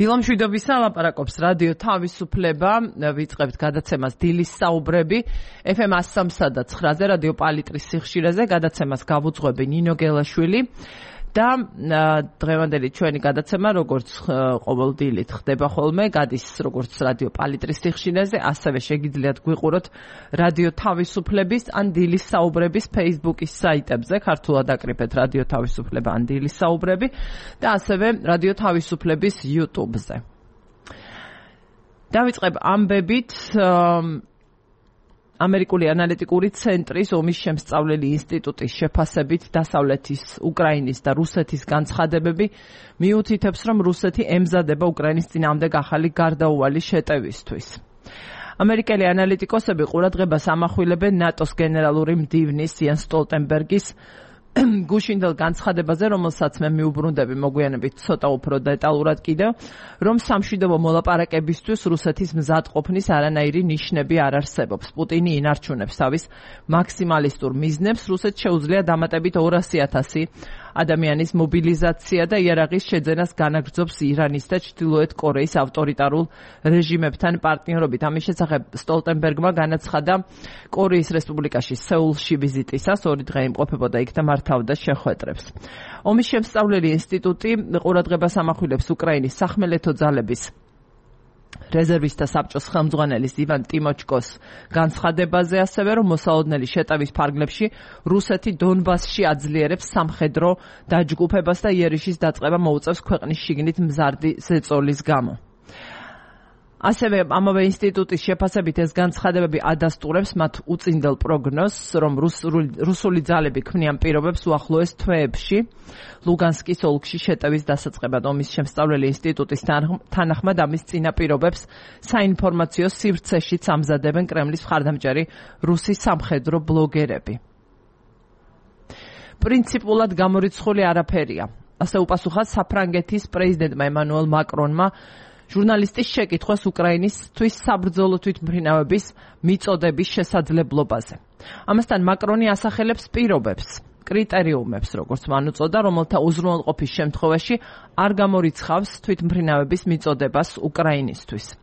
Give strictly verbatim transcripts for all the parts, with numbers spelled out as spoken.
დილამშვიდობისა ლაპარაკობს რადიო თავისუფლება, ვიწყებთ გადაცემას დილის საუბრები ეფ ემ one oh three და nine-ზე რადიო პალიტრის სიხშირეზე, გადაცემას გავუძღვები ნინო გელაშვილი და დღევანდელი ჩვენი გადაცემა როგორც ყოველ დილით ხდება ხოლმე, გადის როგორც რადიო პალიტრის სიხშირეზე, ასევე შეგიძლიათ გვიყუროთ რადიო თავისუფლების ან დილის საუბრების Facebook-ის საიტებზე, ქართულად აკრიფეთ რადიო თავისუფლება ან დილის საუბრები და ასევე რადიო თავისუფლების YouTube-ზე. დავიწყებ ამბებით ამერიკული ანალიტიკური ცენტრის ომის შემსწავლელი ინსტიტუტის შეფასებით დასავლეთის, უკრაინის და რუსეთის განცხადებები მიუთითებს, რომ რუსეთი ემზადება უკრაინის წინააღმდეგ ახალი გარდაუვალი შეტევისთვის. ამერიკელი ანალიტიკოსები ყურადღებას ამახვილებენ ნატოს გენერალური მდივნის იენს სტოლტენბერგის გუშინდელ განცხადებაზე, რომელსაც მე მიუბრუნდები მოგვიანებით ცოტა უფრო დეტალურად კიდევ, რომ სამშვიდობო მოლაპარაკებისთვის რუსეთის მზადყოფნის არანაირი ნიშნები არ არსებობს. პუტინი ინარჩუნებს თავის მაქსიმალისტურ მიზნებს, რუსეთს შეუძლია დამატებით ორასი ათასი ადამიანის მობილიზაცია და იარაღის შეძენას განაგრძობს ირანის და ჩრდილოეთ კორეის ავტორიტარულ რეჟიმებთან პარტნიორობით. ამის შესახებ სტოლტენბერგმა განაცხადა კორეის რესპუბლიკაში სეულში ვიზიტისას, ორი დღე იმყოფებოდა იქ და მართავდა შეხვედრებს. ომის შემსწავლელი ინსტიტუტი ყურადღებას ამახვილებს უკრაინის სახმელეთო ძალების რეზერვისტთა საბჭოს ხელმძღვანელის ივან ტიმოჩკოს განცხადებაზე, ასევე რომ მოსალოდნელი შეტევის ფარგლებში რუსეთი დონბასში აძლიერებს სამხედრო დაჯგუფებას და იერიშის დაწყება მოუწევს ქვეყნის შიგნით მზარდი ზეწოლის გამო. ასევე ამავე ინსტიტუტის შეფასებით ეს განცხადებები ადასტურებს მათ უწინდელ პროგნოზს, რომ რუსული ძალები ქმნიან პირობებს უახლოეს თვეებში ლუგანსკის ოლქში შეტევის დასაწყებად. ომის შემსწავლელი ინსტიტუტის თანახმად ამის წინაპირობებს საინფორმაციო სივრცეშიც ამზადებენ კრემლის მხარდამჭერი რუსი სამხედრო ბლოგერები. პრინციპულად გამორიცხული არაფერია, ასე უპასუხა საფრანგეთის პრეზიდენტმა ემანუელ მაკრონმა ჟურნალისტის შეკითხვას უკრაინისთვის საბრძოლო თვითმფრინავების მიწოდების შესაძლებლობაზე. ამასთან მაკრონი ასახელებს პირობებს, კრიტერიუმებს, როგორც მან უწოდა, რომელთა უზრუნველყოფის შემთხვევაში არ გამორიცხავს თვითმფრინავების მიწოდებას უკრაინისთვის.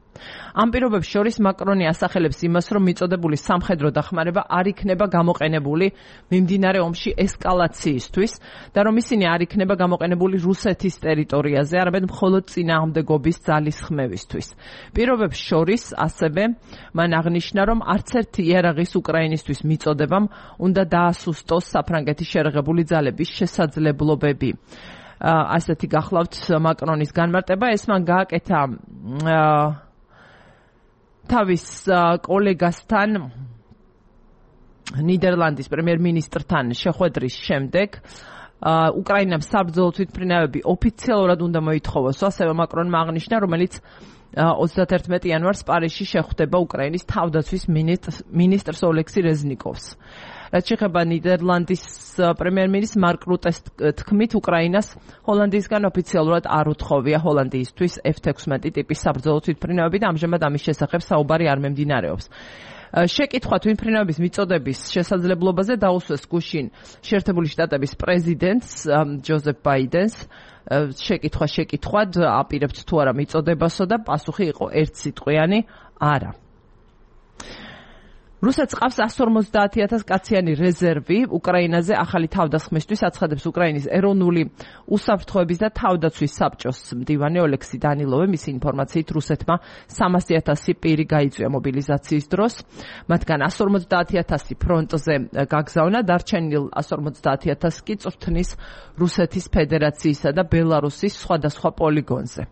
ამ პირობებს შორის მაკრონი ასახელებს იმას, რომ მიწოდებული სამხედრო დახმარება არ იქნება გამოყენებული მიმდინარე ომში ესკალაციისთვის და რომ ისინი არ იქნება გამოყენებული რუსეთის ტერიტორიაზე, არამედ მხოლოდ წინააღმდეგობის ძალის ხმევისთვის. პირობებს შორის ასევე მან აღნიშნა, რომ არც ერთი იარაღის უკრაინისთვის მიწოდებამ უნდა დაასუსტოს საფრანგეთის შერეღებული ძალების შესაძლებლობები. ასეთი გახლავთ მაკრონის განმარტება, ეს მან გააკეთა თავის კოლეგასთან, ნიდერლანდის პრემიერ-მინისტრთან შეხვედრის შემდეგ. უკრაინამ საბრძოლო თვითმფრინავები ოფიციალურად უნდა მოითხოვოს, ასევე მაკრონმა აღნიშნა, რომელიც ოცდაათი იანვარს პარიზში შეხვდება უკრაინის თავდაცვის მინისტრს ოლექსი რეზნიკოვს. რაც შეეხება ნიდერლანდის პრემიერ-მინისტრს მარკ რუტეს თქმით, უკრაინას ჰოლანდიისგან ოფიციალურად არ უთხოვია ჰოლანდიისთვის ეფ ექვსმეტი ტიპის საბრძოლო თვითმფრინავები და ამჟამად ამის შესახებ საუბარი არ მიმდინარეობს. შეკითხვა თვითმფრინავების მიწოდების შესაძლებლობაზე დაუსვეს გუშინ შეერთებული შტატების პრეზიდენტს ჯოზეფ ბაიდენს. შეკითხვა შეკითხვად აპირებთ თუ არა მიწოდებასო და პასუხი იყო ერთსიტყვიანი არა. რუსეთს ყავს one hundred forty thousand კაციანი რეზერვი უკრაინაზე ახალი თავდასხმისთვის, აცხადებს უკრაინის ეროვნული უსაფრთხოების და თავდაცვის საბჭოს მდივანი ოლექსი დანილოვი. მისი ინფორმაციით რუსეთმა სამასი ათასი პირი გაიწვია მობილიზაციის დროს, მათგან one hundred forty thousand ფრონტზე გაგზავნა, დარჩენილ one hundred forty thousand კი წვრთნის რუსეთის ფედერაციისა და ბელარუსის სხვადასხვა პოლიგონზე.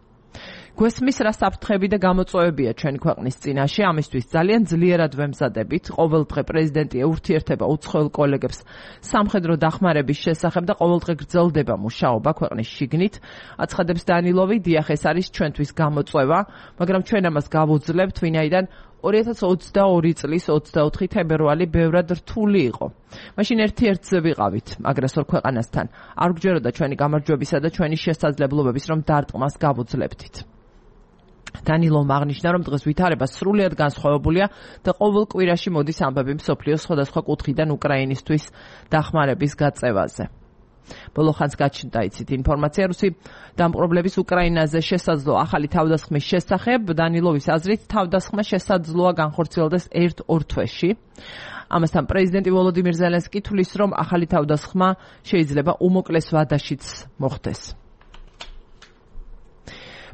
გვესმის რა საფრთხები და გამოწვევებია ჩვენი ქვეყნის წინაშე, ამისთვის ძალიან ძლიერად ვემზადებით. ყოველდღე პრეზიდენტი ეურთიერთება უცხოელ კოლეგებს სამხედრო დახმარების შესახებ და ყოველდღე გრძელდება მუშაობა ქვეყნის შიგნით, აცხადებს დანილოვი. დიახ, ეს არის ჩვენთვის გამოწვევა, მაგრამ ჩვენ ამას გავუძლებთ, ვინაიდან ორი ათას ოცდაორი წლის ოცდაოთხი თებერვალი ბევრად რთული იყო. მაშინ ერთ-ერთზე ვიყავით აგრესორ ქვეყანასთან. არ გვჯეროდა ჩვენი გამარჯვებისა და ჩვენი შესაძლებლობების რომ დარტყმას გავუძლებდით. დანილოვმა აღნიშნა, რომ დღეს ვითარება სრულიად განსხვავებულია და ყოველ კვირაში მოდის ამბები მსოფლიოს სხვადასხვა კუთხიდან უკრაინისთვის დახმარების გაწევაზე. ბოლო ხანს გაჩნდა იცით ინფორმაცია რუსი დამპყრობლების უკრაინაზე შესაძლო ახალი თავდასხმის შესახებ. დანილოვის აზრით თავდასხმა შესაძლოა განხორციელდეს ერთ-ორ თვეში. ამასთან პრეზიდენტი ვოლოდიმირ ზელენსკი თვლის, რომ ახალი თავდასხმა შეიძლება უმოკლეს ვადაშიც მოხდეს.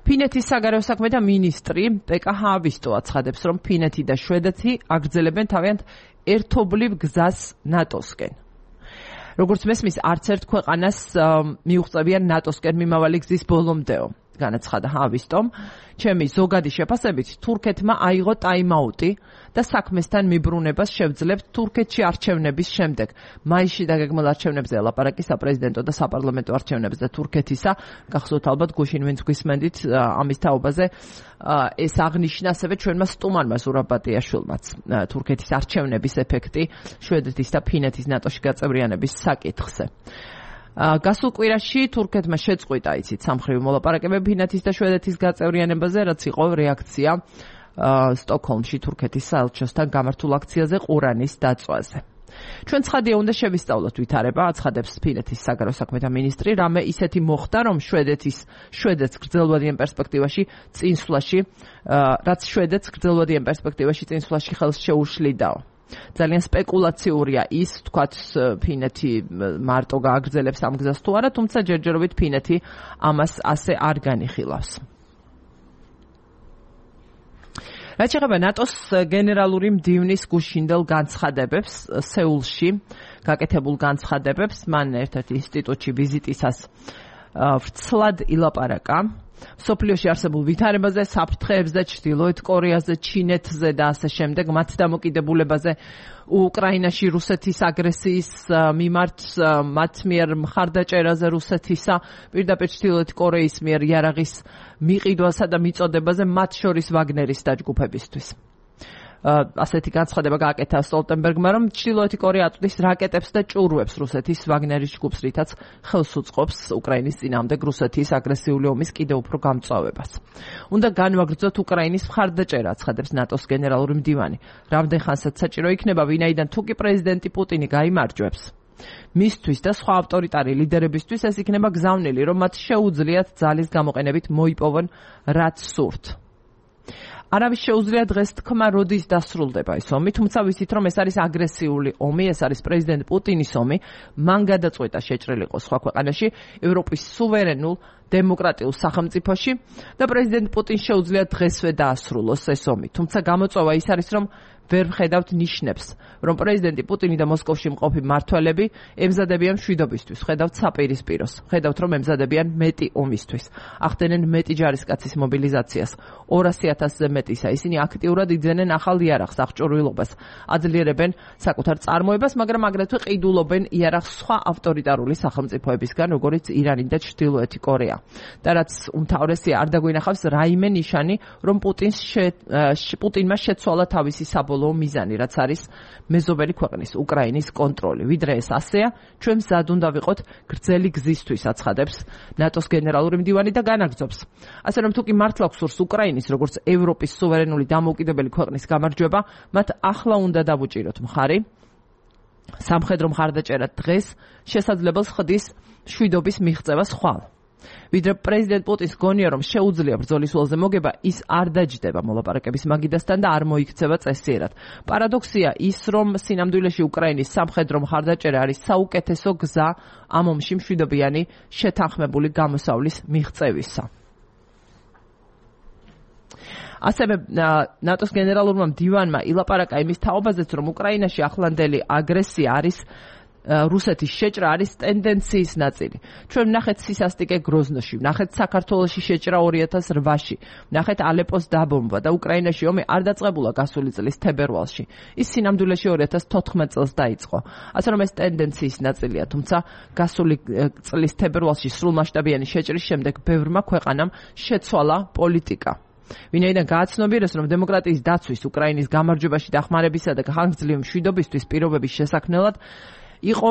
ფინეთის საგარეო საქმეთა მინისტრი პეკა ჰაავისტო აცხადებს, რომ ფინეთი და შვედეთი აგრძელებენ თავიანთ ერთობლივ გზას ნატოსკენ. როგორც მესმის, არც ერთ ქვეყანას მიუღწევიან ნატოსკენ მიმავალი გზის ბოლომდეო. განაცხადა ჰაავისტომ, ჩემი ზოგადი შეფასებით თურქეთმა აიღო ტაიმაუტი და საქმესთან მიბრუნებას შევძლებთ თურქეთში არჩევნების შემდეგ. მაისში დაგეგმილ არჩევნებზე ელაპარაკი საპრეზიდენტო და საპარლამენტო არჩევნებზე თურქეთისა. გახსოვთ ალბათ გუშინ ვინც გვისმენდით ამის თაობაზე ეს აღნიშნა ასევე ჩვენმა სტუმარმა ზურაბატიაშვილმაც თურქეთის არჩევნების ეფექტი შვედეთის და ფინეთის ნატოში გაწევრიანების საკითხზე. გასულ კვირაში თურქეთმა შეწყვიტა იცით სამხრივი მოლაპარაკებები ფინეთის და შვედეთის გაწევრიანებაზე, რაც იყო რეაქცია სტოკჰოლმში თურქეთის საელჩოსთან გამართულ აქციაზე ყურანის დაწვაზე. ჩვენ ცხადია უნდა შევისწავლოთ ვითარება, აცხადებს ფინეთის საგარეო საქმეთა მინისტრი, რამე ისეთი მოხდა, რომ შვედეთის შვედეთს გრძელვადიან პერსპექტივაში წინსვლაში, რაც შვედეთს გრძელვადიან პერსპექტივაში წინსვლაში ხელს შეუშლიდაო. ძალიან სპეკულაციურია ის, თქვათ, ფინეთი მარტო გააგრძელებს ამ გზას თუ არა, თუმცა ჯერჯერობით ფინეთი ამას ასე არ განიხილავს. რაც შეეხება ნატოს გენერალური მდივნის გუშინდელ განცხადებებს სეულში გაკეთებულ განცხადებებს, მან ერთ-ერთი ინსტიტუტში ვიზიტისას ვრცლად ილაპარაკა სოფლიოში არსებულ ვითარებაზე, საფრთხეებზე, ჩრდილოეთ კორეაზე, ჩინეთზე და ასე შემდეგ, მათ დამოკიდებულებაზე, უკრაინაში რუსეთის აგრესიის მიმართ, მათ მიერ მხარდაჭერაზე რუსეთისა, პირდაპირ ჩრდილოეთ კორეის მიერ იარაღის მიყიდვასა და მიწოდებაზე, მათ შორის ვაგნერის დაჯგუფებისთვის. ასეთი განცხადება გააკეთა სტოლტენბერგმა, რომ ჩრდილოეთი კორეა აწვდის რაკეტებს და ჭურვებს რუსეთის ვაგნერის ჯგუფს, რითაც ხელს უწყობს უკრაინის წინააღმდეგ რუსეთის აგრესიული ომის კიდევ უფრო გამწვავებას. უნდა განვაგრძოთ უკრაინის მხარდაჭერა, აცხადებს ნატოს გენერალური მდივანი. რამდენ ხანსაც საჭირო იქნება, ვინაიდან თუ კი პრეზიდენტი პუტინი გაიმარჯვებს, მისთვის და სხვა ავტორიტარი ლიდერებისთვის ეს იქნება გზავნილი, რომ მათ შეუძლიათ ძალის გამოყენებით მოიპოვონ რაც სურთ. არავის შეუძლია დღეს თქმა როდის დასრულდება ეს ომი, თუმცა ვიცით რომ ეს არის აგრესიული ომი, ეს არის პრეზიდენტ პუტინის ომი, მან გადაწყვეტა შეჭრილიყო სხვა ქვეყანაში, ევროპის სუვერენულ დემოკრატიულ სახელმწიფოში და პრეზიდენტ პუტინს შეუძლია დღესვე დაასრულოს ეს ომი. თუმცა გამოწვევა ის არის რომ ვერ ვხედავთ ნიშნებს, რომ პრეზიდენტი პუტინი და მოსკოვში მყოფი მმართველები ემზადებიან მშვიდობისთვის, ხედავთ საპირისპიროს, ხედავთ რომ ემზადებიან მეტი ომისთვის, ახდენენ მეტი ჯარისკაცის მობილიზაციას, ორასი ათასზე მეტისა. ისინი აქტიურად იძენენ ახალ იარაღს, აღჭურვილობას, აძლიერებენ საკუთარ წარმოებას, მაგრამ აგრეთვე ყიდულობენ იარაღს სხვა ავტორიტარული სახელმწიფოებისგან, როგორიც ირანი და ჩრდილოეთი კორეა. და რაც უმთავრესია, არ დაგვინახავს რაიმე ნიშანი, რომ პუტინს პუტინმა შეცვალა თავისი საბოლოო მიზანი, რაც არის მეზობელი ქვეყნის უკრაინის კონტროლი. ვიდრე ეს ასეა, ჩვენ მზად უნდა ვიყოთ გრძელი გზისთვის, აცხადებს ნატოს გენერალური მდივანი და განაგრძობს. ასე რომ თუ კი მართლა გსურს უკრაინის როგორც ევროპის სუვერენული დამოუკიდებელი ქვეყნის გამარჯვება, მათ ახლა უნდა დავუჭიროთ მხარი. სამხედრო მხარდაჭერა დღეს შესაძლებელს ხდის მშვიდობის მიღწევა ხვალ. ვიდრე პრეზიდენტ პუტინს გონია რომ შეუძლია ბრძოლის ველზე მოგება, ის არ დაჯდება მოლაპარაკების მაგიდასთან და არ მოიქცევა წესიერად. პარადოქსია ის, რომ სინამდვილეში უკრაინის სამხედრო მხარდაჭერა არის საუკეთესო გზა ამ ომში მშვიდობიანი შეთანხმებული გამოსავლის მიღწევისა. ასევე ნატოს გენერალურმა მდივანმა ილაპარაკა იმის თაობაზეც, რომ უკრაინაში ახლანდელი აგრესია არის რუსეთის შეჭრა არის ტენდენციის ნაწილი. ჩვენ ვნახეთ სისასტიკე გროზნოში, ვნახეთ საქართველოში შეჭრა ორი ათას რვაში, ვნახეთ ალეპოს დაბომბვა და უკრაინაში ომი არ დაწყებულა გასული წლის თებერვალში. ის სინამდვილეში ორი ათას თოთხმეტ წელს დაიწყო. ასე რომ ეს ტენდენციის ნაწილია, თუმცა გასული წლის თებერვალში სრულმასშტაბიანი შეჭრის შემდეგ ბევრმა ქვეყანამ შეცვალა პოლიტიკა. ვინაიდან გააცნობიერეს, რომ დემოკრატიის დაცვის, უკრაინის გამარჯვებაში დახმარებისა და ხანგრძლივი მშვიდობისთვის პირობების შესაქმნელად იყო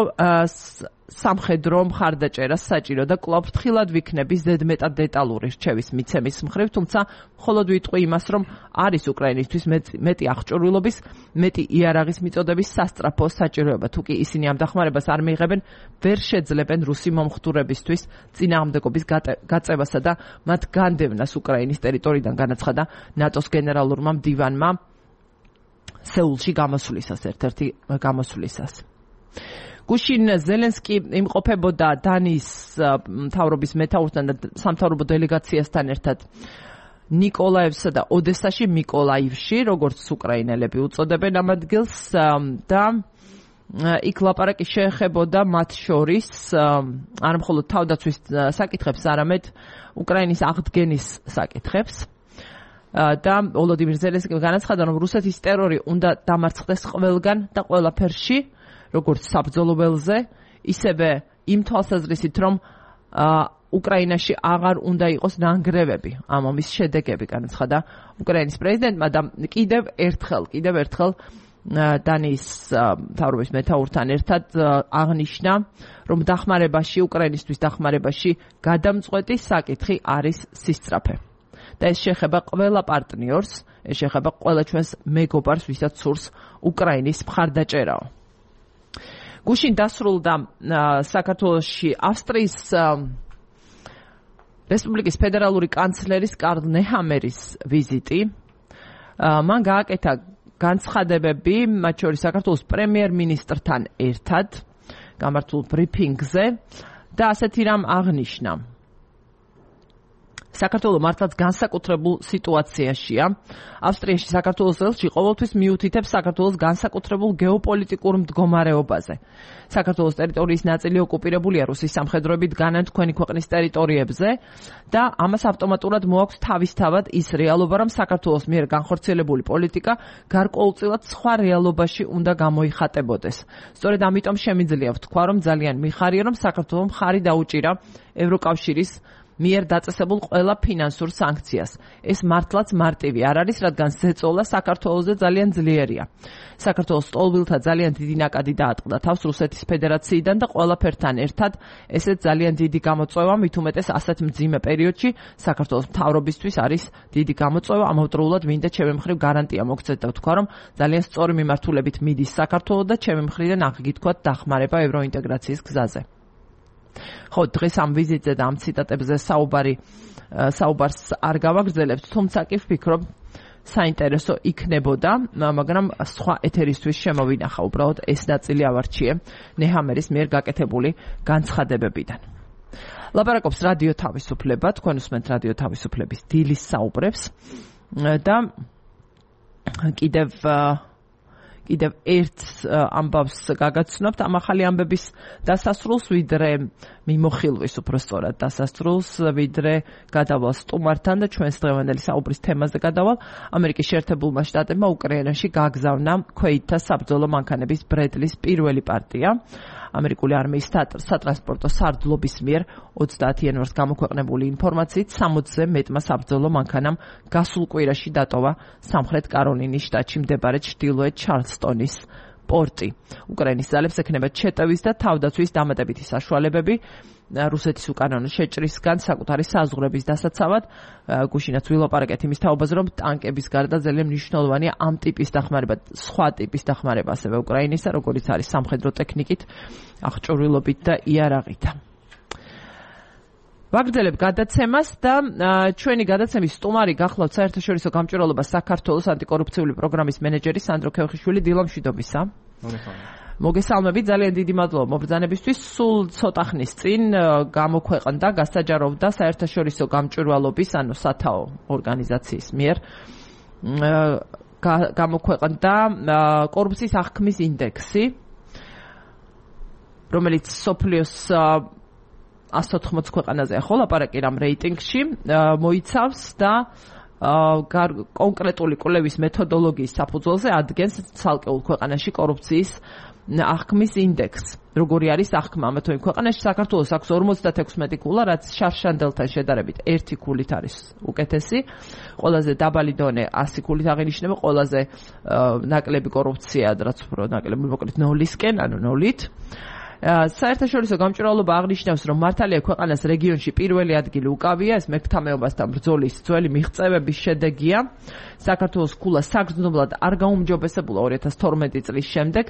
სამხედრო მხარდაჭერა საჭირო და კვლავ ფრთხილად ვიქნები ზედმეტად დეტალური რჩევის მიცემის მხრივ, თუმცა მხოლოდ ვიტყვი იმას, რომ არის უკრაინისთვის მეტი აღჭურვილობის, მეტი იარაღის მიწოდების სასწრაფო საჭიროება. თუ კი ისინი ამ დახმარებას არ მიიღებენ, ვერ შეძლებენ რუსი მომხდურებისთვის წინააღმდეგობის გაწევასა და მათ განდევნას უკრაინის ტერიტორიიდან, განაცხადა ნატოს გენერალურმა მდივანმა სეულში გამოსვლისას, ერთ-ერთი გამოსვლისას. გუშინ ზელენსკი იმყოფებოდა დანიის მთავრობის მეთაურთან და სამთავრობო დელეგაციასთან ერთად ნიკოლაევსა და ოდესაში მიკოლაივში, როგორც უკრაინელები უწოდებენ ამ ადგილს, და იქ ლაპარაკი შეეხებოდა მათ შორის არა მხოლოდ თავდაცვის საკითხებს, არამედ უკრაინის აღდგენის საკითხებს. და ვოლოდიმირ ზელენსკიმ განაცხადა, რომ რუსეთის ტერორი უნდა დამარცხდეს ყველგან და ყველაფერში, როგორც საბრძოლო ველზე, ისევე იმ თვალსაზრისით, რომ უკრაინაში აღარ უნდა იყოს ნანგრევები ამ ომის შედეგები, განაცხადა უკრაინის პრეზიდენტმა და კიდევ ერთხელ, კიდევ ერთხელ დანიის მთავრობის მეთაურთან ერთად აღნიშნა, რომ დახმარებაში, უკრაინისთვის დახმარებაში გადამწყვეტი საკითხი არის სისწრაფე. და ეს შეეხება ყველა პარტნიორს, ეს შეეხება ყველა ჩვენს მეგობარს, ვისაც სურს უკრაინის მხარდაჭერაო. გუშინ დასრულდა საქართველოში ავსტრიის რესპუბლიკის ფედერალური კანცლერის კარლ ნეჰამერის ვიზიტი. მან გააკეთა განცხადებები, მათ შორის საქართველოს პრემიერ-მინისტრთან ერთად გამართულ ბრიფინგზე და ასეთი რამ აღნიშნა. საქართველო მართლაც განსაკუთრებულ სიტუაციაშია. ავსტრიაში საქართველოს ელჩი ყოველთვის მიუთითებს საქართველოს განსაკუთრებულ გეოპოლიტიკურ მდგომარეობაზე. საქართველოს ტერიტორიის ნაწილი ოკუპირებულია რუსის სამხედროებით განან თქვენი ქვეყნის ტერიტორიებზე და ამას ავტომატურად მოაქვს თავისთავად ის რეალობა, რომ საქართველოს მიერ განხორციელებული პოლიტიკა გარკვეულწილად სხვა რეალობაში უნდა გამოიხატებოდეს. სწორედ ამიტომ შემიძლია ვთქვა, რომ ძალიან მიხარია, რომ საქართველოს მხარი დაუჭირა ევროკავშირის მიერ დაწესებულ ყველა ფინანსურ სანქციას. ეს მართლაც მარტივი არ არის, რადგან ზეწოლა საქართველოზე ძალიან ძლიერია. საქართველოს სტოლბილთა ძალიან დიდი ნაკადი დაატყდა თავს რუსეთის ფედერაციიდან და ყველაფერთან ერთად ესეც ძალიან დიდი გამოწვევა, მით უმეტეს ასეთ მძიმე პერიოდში საქართველოს მთავრობისთვის არის დიდი გამოწვევა. ამავდროულად მინდა ჩემი მხრივ გარანტია მოგცეთ და ვთქვა, რომ ძალიან სწორი მიმართულებით მიდის საქართველო და ჩემი მხრიდან აღგითქვათ დახმარება ევროინტეგრაციის გზაზე. ხო, დღეს ამ ვიზიტზე და ამ ციტატებზე საუბარი საუბარს არ გავაგრძელებთ, თუმცა კი ვფიქრობ საინტერესო იქნებოდა, მაგრამ სხვა ეთერისთვის შემოვინახა უბრალოდ ეს ნაწილი ავარჩიე ნეჰამერის მიერ გაკეთებული განცხადებებიდან. ლაპარაკობს რადიო თავისუფლება, თქვენ უსმენთ რადიო თავისუფლების დილის საუბრებს და კიდევ კიდევ ერთ ამბავს გაგაცნობთ ამ ახალი ამბების დასასრულს, ვიდრე მიმოხილვის უпростоრად დასასრულს, ვიდრე გადავალ სტუმართან და ჩვენს დღევანდელი საუბრის თემაზე გადავალ. ამერიკის შეერთებულმა შტატებმა უკრაინაში გაგზავნა ქვეითთა საბრძოლო მანქანების ბრედლის პირველი პარტია. ამერიკული არმიის სატრანსპორტო სარდლობის მიერ ოცდაათი იანვარს გამოქვეყნებული ინფორმაციით სამოცზე მეტმა საბრძოლო მანქანამ გასულ კვირაში დატოვა სამხრეთ კაროლინის შტატში მდებარე ჩრდილოეთ ჩარლსტონის პორტი. უკრაინის ძალებს ექნება ჩეტევის და თავდაცვის დამატებითი საშუალებები რუსეთის უკანონო შეჭრისგან საკუთარი საზღვრების დასაცავად. გუშინაც ვილაპარაკეთ იმის თაობაზე, რომ ტანკების გარდა ძალიან მნიშვნელოვანია ამ ტიპის დახმარება, სხვა ტიპის დახმარება ასევე უკრაინისა, როგორც არის სამხედრო ტექნიკით, აღჭურვილობით და იარაღით. ვაგრძელებ გადაცემას და ჩვენი გადაცემის სტუმარი გახლავთ საერთაშორისო გამჭვირვალობა საქართველოს ანტიკორუფციული პროგრამის მენეჯერი სანდრო ქევხიშვილი. დილა მშვიდობისა. მოგესალმებით, ძალიან დიდი მადლობა მობრძანებისთვის. სულ ცოტა ხნის წინ გამოქვეყნდა, გასაჯაროვდა საერთაშორისო გამჭვირვალობის, ანუ სათაო ორგანიზაციის მიერ გამოქვეყნდა კორუფციის აღქმის ინდექსი, რომელიც სოფლიოს ასოთხმოც ქვეყანაზე ხო ლაპარაკი რამ რეიტინგში მოიცავს და კონკრეტული კვლევის მეთოდოლოგიის საფუძველზე ადგენს ცალკეულ ქვეყანაში კორუფციის აღქმის ინდექსს. როგორი არის აღქმა ამათო იმ ქვეყანაში საქართველოს აქვს ორმოცდათექვსმეტი ქულა, რაც შარშანდელთან შედარებით ერთი ქულით არის უკეთესი. ყველაზე დაბალი დონე ასი ქულით აღინიშნება, ყველაზე ნაკლები კორუფცია, რაც უფრო ნაკლები მოკლედ ნოლისკენ, ანუ ნოლით. საერთაშორისო გამჭვირვალობა აღნიშნავს, რომ მართალია ქვეყანას რეგიონში პირველი ადგილი უკავია, ეს მერქთამეობასთან ბრძოლის ძველი მიღწევების შედეგია. საქართველოს ქულა საგრძნობლად არ გაუმჯობესებულა ორი ათას თორმეტი წლის შემდეგ,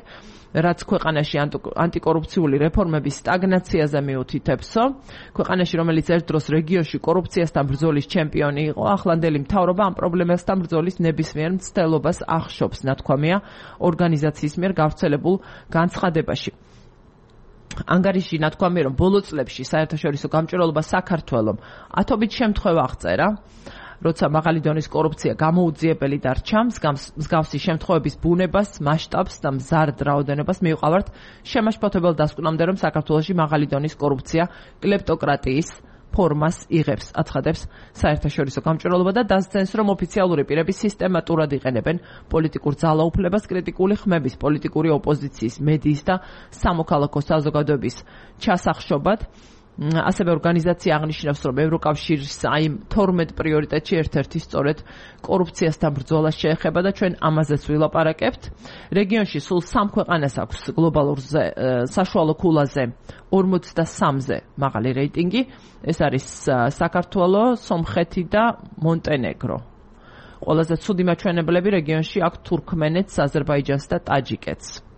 რაც ქვეყანაში ანტიკორუფციული რეფორმების სტაგნაციაზე მიუთითებსო. ქვეყანაში, რომელიც ერთ დროს რეგიონში კორუფციასთან ბრძოლის ჩემპიონი იყო, ახლანდელი მთავრობა ამ პრობლემასთან ბრძოლის ნებისმიერ მცდელობას ახშობს, ნათქვამია ორგანიზაციის მიერ გავრცელებულ განცხადებაში. ანგარიში ნათქვამია, რომ ბოლო წლებში საერთაშორისო გამჭვირვალობა საქართველომ ათობით შემთხვევა აღწერა, როცა მაღალი დონის კორუფცია გამოუძიებელი დარჩა, მსგავსი შემთხვევების ბუნებას, მასშტაბს და მზარდ რაოდენობას მიუყავართ შემაშფოთებელ დასკვნამდე, რომ საქართველოში მაღალი დონის კორუფცია კლეპტოკრატიის ფორმას იღებს, აცხადებს საერთაშორისო გამჭვირვალობა და დასძენს, რომ ოფიციალური პირები სისტემატურად იყენებენ პოლიტიკურ ძალაუფლებას, კრიტიკული ხმების, პოლიტიკური ოპოზიციის, მედიის და სამოქალაქო საზოგადოების ჩასახშობად. ასევე ორგანიზაცია აღნიშნავს, რომ ევროკავშირის აი თორმეტ პრიორიტეტში ერთ-ერთი სწორედ კორუფციასთან ბრძოლას შეეხება და ჩვენ ამაზეც ვილაპარაკებთ. რეგიონში სულ სამ ქვეყანას აქვს გლობალურ საშუალო ქულაზე ორმოცდასამზე მაღალი რეიტინგი. ეს არის საქართველო, სომხეთი და მონტენეგრო. ყველაზე ცუდი მაჩვენებლები რეგიონში აქვს თურქმენეთს, აზერბაიჯანს და ტაჯიკეთს.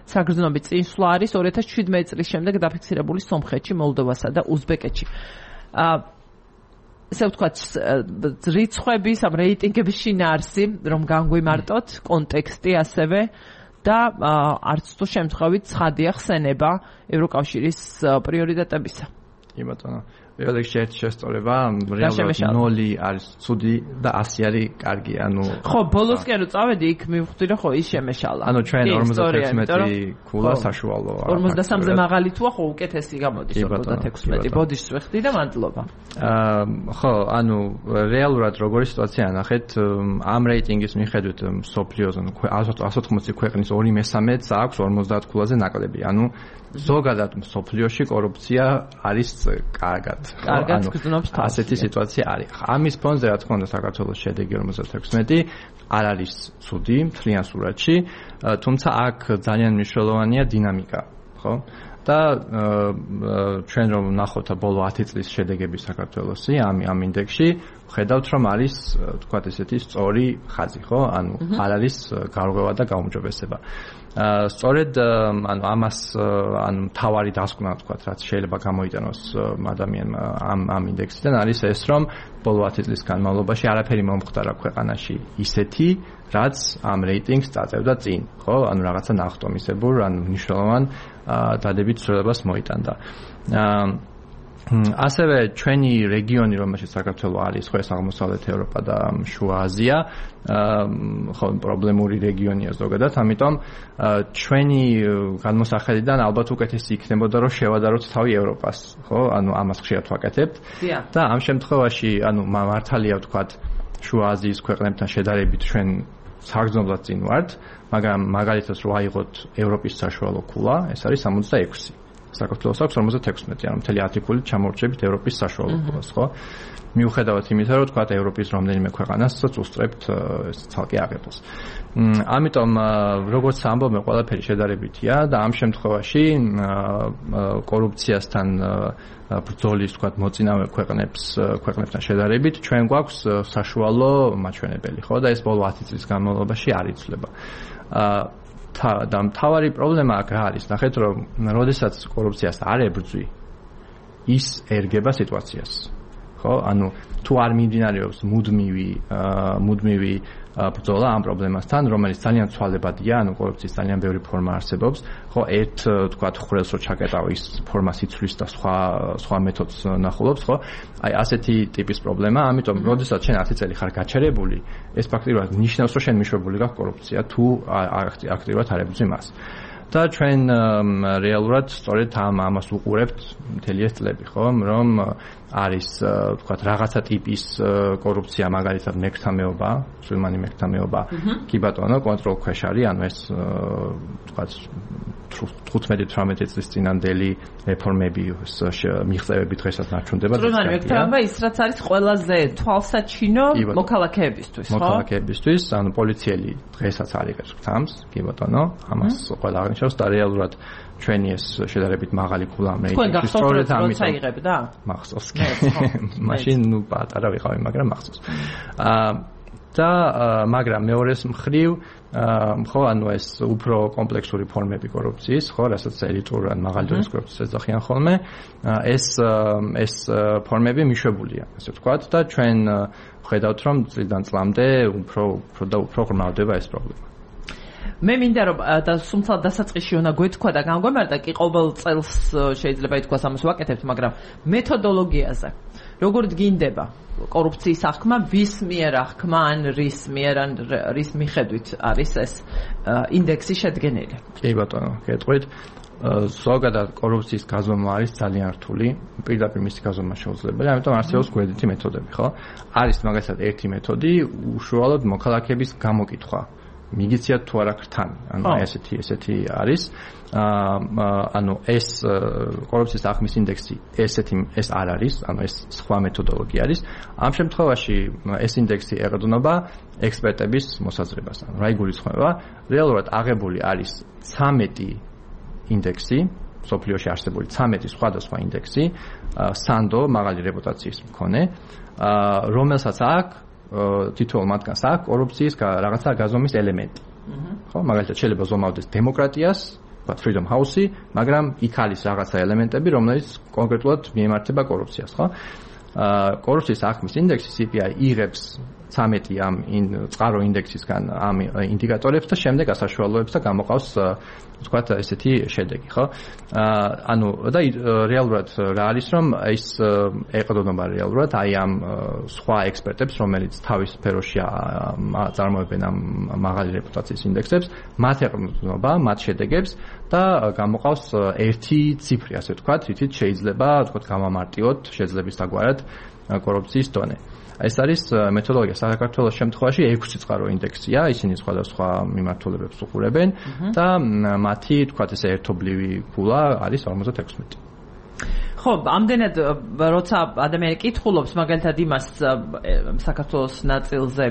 საგრძნობი წინსვლა არის ორი ათას შვიდმეტი წლის შემდეგ დაფიქსირებული სომხეთში, მოლდოვასა და უზბეკეთში. ესე ვთქვათ, რიცხვების, ამ რეიტინგების შინაარსი, რომ განგვიმარტოთ, კონტექსტი ასევე და არც თუ შემთხვევით ცხადია ხსენება ევროკავშირის პრიორიტეტებისა. კი ბატონო. პირველ რიგში ერთი შესწორება, რეალურად ნოლი არის ცუდი და ასი არის კარგი, ანუ ხო, ბოლოსკენ რო წავედი, იქ მივხვდი, რომ ხო, ის შემეშალა. ანუ ჩვენ ორმოცდათექვსმეტი ქულა საშუალოა. ორმოცდასამზე მაღალი თუა, ხო, უკეთესი გამოდის ორმოცდათექვსმეტი. ბოდიშს ვეხდი და მადლობა. აა, ხო, ანუ რეალურად როგორი სიტუაცია ნახეთ, ამ რეიტინგის მიხედვით მსოფლიოზე ას ოთხმოცი ქვეყნის ორი მესამედს აქვს ორმოცდაათ ქულაზე ნაკლები. ანუ ზოგადად მსოფლიოში კორუფცია არის კარგად. კარგად გრძნობს თავს. ასეთი სიტუაცია არის. ამის ფონზე რა თქმა უნდა საქართველოს შედეგი ორმოცდათექვსმეტი არ არის ცუდი მთლიან სურათში, თუმცა აქ ძალიან მნიშვნელოვანია დინამიკა, ხო? და ჩვენ რომ ვნახოთ ბოლო ათი წლის შედეგები საქართველოსი ამ ამ ინდექსში, ხედავთ რომ არის თქვათ ესეთი სწორი ხაზი, ხო? ანუ არ არის გარღვევა და გაუმჯობესება. სწორედ ანუ ამას ანუ თავარი დასკვნა თქვათ, რაც შეიძლება გამოიტანოს ადამიანმა ამ ამ ინდექსიდან არის ეს, რომ ბოლო ათი წლის განმავლობაში არაფერი მომხდარა ქვეყანაში ისეთი, რაც ამ რეიტინგს წაწევდა წინ, ხო? ანუ რაღაცა ნახტომისებურ, ანუ მნიშვნელოვან დადებით ცვლილებას მოიტანდა. ასევე ჩვენი რეგიონი, რომელშიც საქართველო არის, ხო, ეს აღმოსავლეთ ევროპა და შუა აზია, ხო, პრობლემური რეგიონია ზოგადად, ამიტომ ჩვენი განმოსახედიდან ალბათ უკეთესი იქნებოდა, რომ შევადაროთ თავი ევროპას, ხო? ანუ ამას ხშირად ვაკეთებთ. და ამ შემთხვევაში, ანუ მართალია ვთქვათ, შუა აზიის ქვეყნებთან შედარებით ჩვენ საგრძნობლად წინ ვართ, მაგრამ მაგალითად რო აიღოთ ევროპის საშუალო ქულა, ეს არის სამოცდაექვსი. საქართველოს აქვს ორმოცდათექვსმეტი, ანუ მთელი ათი ქულით ჩამორჩებით ევროპის საშუალო ქულას, ხო? მიუხედავად იმისა, რომ თქვათ ევროპის რომელიმე ქვეყანასაც უსწრებთ ცალკე აღებულს. ამიტომ როგორც ამბობენ, ყველაფერი შედარებითია და ამ შემთხვევაში კორუფციასთან ბრძოლის თქვათ მოწინავე ქვეყნებს ქვეყნებთან შედარებით ჩვენ გვაქვს საშუალო მაჩვენებელი, ხო? და ეს ბოლო ათი წლის განმავლობაში არ იცვლება. და მთავარი პრობლემა აქ რა არის? ნახეთ, რომ როდესაც კორუფციას არ ებრძვი, ის ერგება სიტუაციას. ხო? ანუ თუ არ მიმდინარეობს მუდმივი მუდმივი ბრძოლა ამ პრობლემასთან, რომელიც ძალიან ცვალებადია, ანუ კორუფციის ძალიან ბევრი ფორმა არსებობს, ხო, ერთ თქვათ ხვრელს რო ჩაკეტავ, ის ფორმას იცვლის და სხვა სხვა მეთოდს ნახულობს, ხო? აი ასეთი ტიპის პრობლემა, ამიტომ როდესაც შენ ათი წელი ხარ გაჩერებული, ეს ფაქტიურად ნიშნავს, რომ შენ მიშვებული გაქვს კორუფცია, თუ აქტიურად არ ებრძვი მას. და ჩვენ რეალურად სწორედ ამ ამას უყურებთ მთელი ეს წლები, ხო, რომ არის ვთქვათ რაღაცა ტიპის კორუფცია, მაგალითად მეკრთამეობა, სულმანი მეკრთამეობა, კი ბატონო, კონტროლ ქვეშ არის, ანუ ეს ვთქვათ თხუთმეტი თვრამეტი წლის წინანდელი რეფორმები, მიღწევები დღესაც ნარჩუნდება. სულმანი მეკრთამეობა ის რაც არის ყველაზე თვალსაჩინო მოქალაქეებისთვის, ხო? მოქალაქეებისთვის, ანუ პოლიციელი დღესაც არიღებს გზამს, კი ბატონო, ამას ყველა აღნიშნავს და რეალურად ჩვენი ეს შედარებით მაღალი ქულა რეიტინგი სწორედ ამიტომ აიღებდა? მახსოვს. მაშინ ნუ პატარა ვიყავი, მაგრამ მახსოვს. აა და მაგრამ მეორეს მხრივ ხო, ანუ ეს უფრო კომპლექსური ფორმები კორუფციის, ხო, რასაც ელიტური ან მაღალი დონის კორუფციას ეძახიან ხოლმე, ეს ეს ფორმები მიშვებულია, ასე ვთქვათ და ჩვენ ხედავთ, რომ წლიდან წლამდე უფრო უფრო და უფრო ღრმავდება ეს პრობლემა. მე მინდა რომ და სუმცა დასაწყისში უნდა გვეთქვა და განგვემართა კი ყოველ წელს შეიძლება ითქვას ამას ვაკეთებთ, მაგრამ მეთოდოლოგიაზე როგორ დგინდება კორუფციის აღქმა, ვის მიერ აღქმა ან რის მიერ ან რის მიხედვით არის ეს ინდექსი შედგენილი? კი ბატონო, გეტყვით. ზოგადად კორუფციის გაზომა არის ძალიან რთული, პირდაპირ მისი გაზომა შეუძლებელია, ამიტომ არსებობს გვერდითი მეთოდები, ხო? არის მაგალითად ერთი მეთოდი, უშუალოდ მოქალაქეების გამოკითხვა. მიგიციათ თუ არა ქრთამი, ანუ ესეთი ესეთი არის. ანუ ეს კორუფციის აღქმის ინდექსი ესეთი ეს არ არის, ანუ ეს სხვა მეთოდოლოგია არის. ამ შემთხვევაში ეს ინდექსი ეყრდნობა ექსპერტების მოსაზრებას. ანუ რა იგულისხმება? რეალურად აღებული არის ცამეტი ინდექსი, სოფლიოში არსებული ცამეტი სხვადასხვა ინდექსი, სანდო მაღალი რეპუტაციის მქონე, რომელსაც აქვს თითოეულ მათგანს აქვს კორუფციის რაღაცა გაზომის ელემენტი. ხო, მაგალითად შეიძლება ზომავდეს დემოკრატიას, ვთქვათ Freedom House-ი, მაგრამ იქ არის რაღაცა ელემენტები, რომელიც კონკრეტულად მიემართება კორუფციას, ხო? აა კორუფციის აღქმის ინდექსი C P I იღებს ცამეტი ამ წყარო ინდექსისგან ამ ინდიკატორებს და შემდეგ ასაშუალოებს და გამოყავს ვთქვათ ესეთი შედეგი, ხო? აა ანუ და რეალურად რა არის, რომ ის ეყრდნობა რეალურად აი ამ სხვა ექსპერტებს, რომელიც თავის სფეროში წარმოებენ ამ მაღალი რეპუტაციის ინდექსებს, მათ ეყრდნობა, მათ შედეგებს და გამოყავს ერთი ციფრი, ასე ვთქვათ, რითიც შეიძლება ვთქვათ გამამარტიოთ შეძლების დაგვარად კორუფციის დონე. ეს არის მეთოდოლოგია საქართველოს შემთხვევაში ექვსი წყარო ინდექსია, ისინი სხვადასხვა მიმართულებებს უყურებენ და მათი, თქვათ ესე ერთობლივი ქულა არის ორმოცდაექვსმეტი. ხო, ამდენად როცა ადამიანი კითხულობს მაგალითად იმას საქართველოს ნაწილზე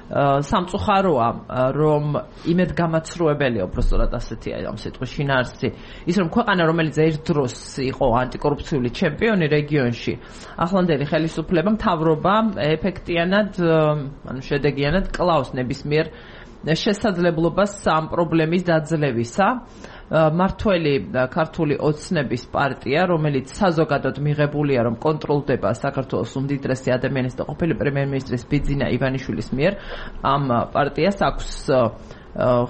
სამწუხაროა, რომ იმედ გამაცრუებელია უბრალოდ ასეთი ამ სიტყვის შინაარსი, ის რომ ქვეყანა, რომელიც ერთ დროს იყო ანტიკორუფციული ჩემპიონი რეგიონში, ახლანდელი ხელისუფლება მთავრობა ეფექტიანად, ანუ შედეგიანად კლავს ნებისმიერ შესაძლებლობას ამ პრობლემის დაძლევისა. მართველი ქართული ოცნების პარტია, რომელიც საზოგადოდ მიღებულია, რომ კონტროლდება საქართველოს უმდიდრესი ადამიანის და ყოფილი პრემიერ-მინისტრის ბიძინა ივანიშვილის მიერ, ამ პარტიას აქვს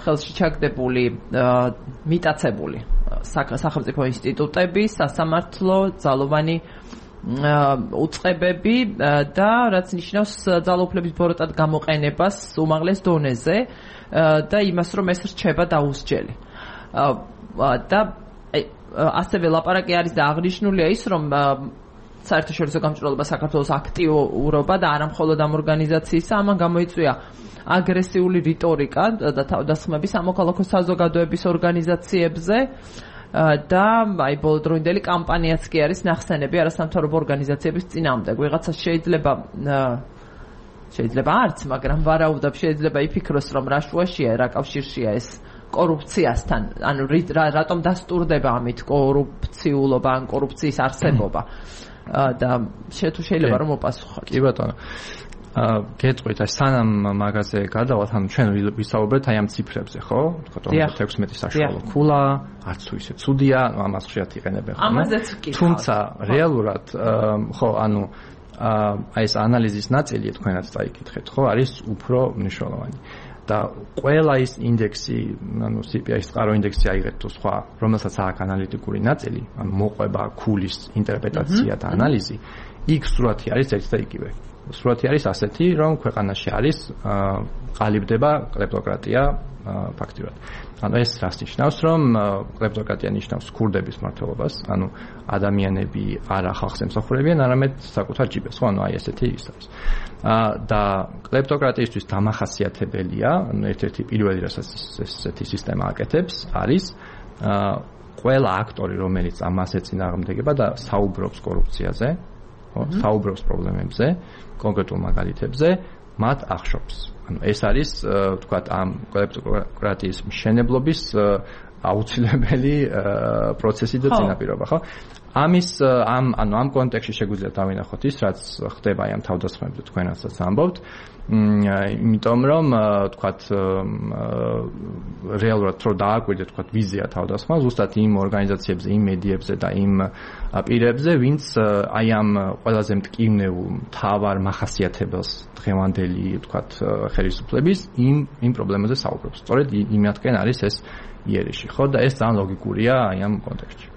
ხელში ჩაგდებული მიტაცებული სახელმწიფო ინსტიტუტები, სასამართლო, ძალოვანი უწყებები და რაც ნიშნავს ძალაუფლების ბოროტად გამოყენებას უმაღლეს დონეზე და იმას, რომ ეს რჩება დაუსჯელი. და ასევე ლაპარაკი არის და აღნიშნულია ის, რომ საერთაშორისო გამჭვირვალობა საქართველოს აქტიურობა და არა მხოლოდ ამ ორგანიზაციისა, ამან გამოიწვია აგრესიული რიტორიკა და თავდასხმები სამოქალაქო საზოგადოების ორგანიზაციებზე და აი ბოლოდროინდელი კამპანიაც კი არის ნახსენები არასამთავრობო ორგანიზაციების წინააღმდეგ. ვიღაცას შეიძლება შეიძლება არც, მაგრამ ვარაუდობ, შეიძლება იფიქროს, რომ რა შუაშია, რა კავშირშია ეს კორუფციასთან, ანუ რატომ დასტურდება ამით კორუფციულობა ან კორუფციის არსებობა და თუ შეიძლება რომ მოპასუხოთ. კი ბატონო. აა გეტყვით, აი სანამ მაგაზე გადავალთ, ანუ ჩვენ ვისაუბრეთ აი ამ ციფრებზე, ხო? თქვა ორმოცდაექვსმეტი საშუალო ქულა, არც თუ ისე ცუდია, ამას ხშირად იყენებენ ხოლმე. ამაზეც კი. თუმცა რეალურად ხო, ანუ აი ეს ანალიზის ნაწილი თქვენაც წაიკითხეთ, ხო, არის უფრო მნიშვნელოვანი. და ყველა ის ინდექსი, ანუ C P I-ის წყარო ინდექსი აიღეთ თუ სხვა, რომელსაც აქვს ანალიტიკური ნაწილი, ანუ მოყვება ქულის ინტერპრეტაცია და ანალიზი, იქ სურათი არის ერთ და იგივე. სურათი არის ასეთი, რომ ქვეყანაში არის ყალიბდება კლეპტოკრატია ფაქტიურად. ანუ ეს რას ნიშნავს, რომ კლეპტოკრატია ნიშნავს ქურდების მმართველობას, ანუ ადამიანები არა ხალხს ემსახურებიან, არამედ საკუთარ ჯიბეს, ხო, ანუ აი ესეთი ის არის. და კლეპტოკრატიისთვის დამახასიათებელია, ანუ ერთ-ერთი პირველი რასაც ესეთი სისტემა აკეთებს, არის ყველა აქტორი, რომელიც ამას ეწინააღმდეგება და საუბრობს კორუფციაზე, ხო, საუბრობს პრობლემებზე, კონკრეტულ მაგალითებზე, მათ ახშობს. ანუ ეს არის, ვთქვათ, ამ კლეპტოკრატიის მშენებლობის აუცილებელი პროცესი და წინაპირობა, ხო? ამის ამ ანუ ამ კონტექსტში შეგვიძლია დავინახოთ ის, რაც ხდება აი ამ თავდასხმებზე თქვენაცაც ამბობთ. იმიტომ რომ ვთქვათ რეალურად რო დააკვირდეთ ვთქვათ ვიზია თავდასხმა ზუსტად იმ ორგანიზაციებზე, იმ მედიებზე და იმ პირებზე, ვინც აი ამ ყველაზე მტკივნეულ მთავარ მახასიათებელს დღევანდელი ვთქვათ ხელისუფლების იმ იმ პრობლემაზე საუბრობს. სწორედ იმათკენ არის ეს იერიში, ხო და ეს ძალიან ლოგიკურია აი ამ კონტექსტში.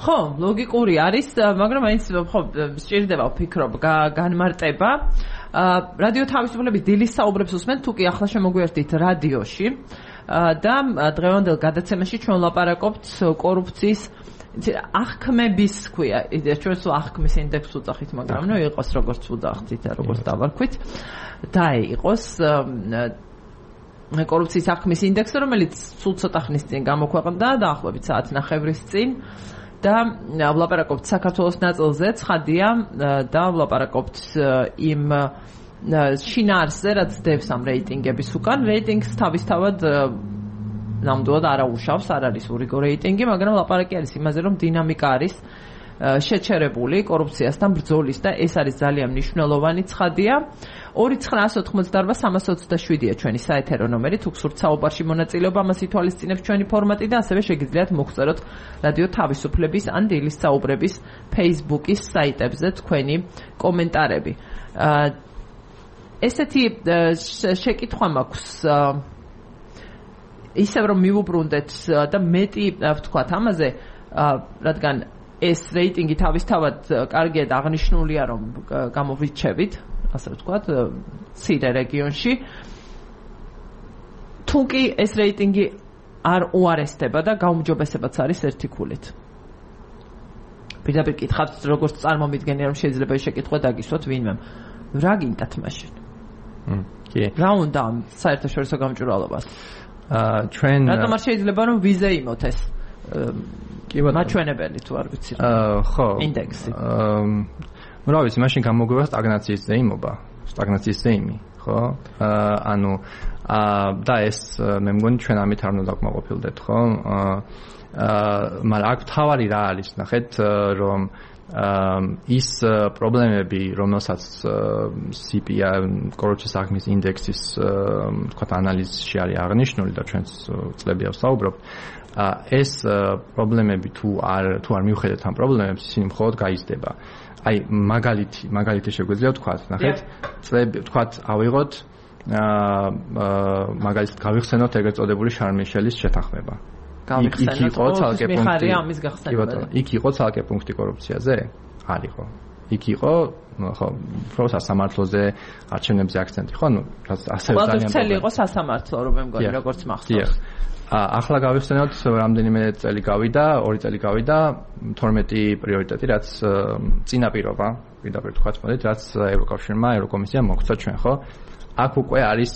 ხო, ლოგიკური არის, მაგრამ აიც ხო სჭირდება ვფიქრობ განმარტება. რადიო თავისუფლების დილის საუბრებს უსმენთ, თუ კი ახლა შემოგვიერთდით რადიოში და დღევანდელ გადაცემაში ჩვენ ვლაპარაკობთ კორუფციის აღქმების ქვია. ჩვენ სულ აღქმის ინდექსს ვუძახით, მაგრამ ნუ იყოს როგორც ვუძახით და როგორც დავარქვით და იყოს კორუფციის აღქმის ინდექსი, რომელიც სულ ცოტა ხნის წინ გამოქვეყნდა, დაახლოებით საათნახევრის წინ. და ვლაპარაკობთ საქართველოს ნაწილზე, ცხადია და ვლაპარაკობთ იმ შინაარსზე, რაც დევს ამ რეიტინგების უკან. რეიტინგს თავისთავად ნამდვილად არ აუშავს, არ არის ურიგო რეიტინგი, მაგრამ ლაპარაკი არის იმაზე, რომ დინამიკა არის შეჩერებული კორუფციასთან ბრძოლის და ეს არის ძალიან მნიშვნელოვანი ცხადია. ორი ცხრა ათი ოცდაოთხ სამას ოცდაშვიდია ჩვენი საეთერო ნომერი, თუ გსურთ საუბარში მონაწილეობა, ამას ითვალისწინებს ჩვენი ფორმატი და ასევე შეგიძლიათ მოგწეროთ რადიო თავისუფლების ან დილის საუბრების Facebook-ის საიტებზე თქვენი კომენტარები. ესეთი შეკითხვა მაქვს, ისევ რომ მივუბრუნდეთ და მეტი ვთქვათ ამაზე, რადგან ეს რეიტინგი თავისთავად კარგია და აღნიშნულია, რომ გამოვრჩევით, ასე ვთქვათ, ცირე რეგიონში. თუ კი ეს რეიტინგი არ უარესდება და გაუმჯობესებაც არის ერთი ქულით. პირდაპირ კითხავთ, როგორც წარმომიდგენია, რომ შეიძლება ეს შეკითხვა დაგისვათ ვინმემ. რა გინდათ მაშინ? კი. რა უნდა საერთაშორისო გამჭვირვალობას? აა ჩვენ რატომ არ შეიძლება რომ ვიზე იმოთ ეს? კი ბატონო. მაჩვენებელი თუ არ ვიცი. აა ხო. ინდექსი. აა რა ვიცი, მაშინ გამოგვივა სტაგნაციის ზეიმობა, სტაგნაციის ზეიმი, ხო? აა ანუ აა და ეს მე მგონი ჩვენ ამით არ უნდა დაკმაყოფილდეთ, ხო? აა მაგრამ აქ თავარი რა არის, ნახეთ, რომ ის პრობლემები, რომელსაც სი პი აი კორუფციის აღქმის ინდექსის თქვათ ანალიზში არის აღნიშნული და ჩვენს წლებია ვსაუბრობთ, ეს პრობლემები თუ არ თუ არ მივხედეთ ამ პრობლემებს, ისინი მხოლოდ გაიზრდება. აი მაგალითი, მაგალითი შეგვიძლია ვთქვათ, ნახეთ, წლები ვთქვათ, ავიღოთ აა მაგალითად გავიხსენოთ ეგრეთ წოდებული შარმიშელის შეთანხმება. იქ იყო ცალკე პუნქტი. ამის გახსენება. იქ იყო ცალკე პუნქტი კორუფციაზე? არ იყო. იქ იყო, ხო, უფრო სასამართლოზე, არჩევნებზე აქცენტი, ხო, ნუ ასევე ძალიან ყველა წელი იყო სასამართლო, რომ მე მგონი, როგორც მახსოვს. ახლა გავიხსენოთ, რამდენიმე წელი გავიდა, ორი წელი გავიდა, თორმეტი პრიორიტეტი, რაც წინაპირობა, პირდაპირ თქვათ, მოდით, რაც ევროკავშირმა, ევროკომისიამ მოგცა ჩვენ, ხო? აქ უკვე არის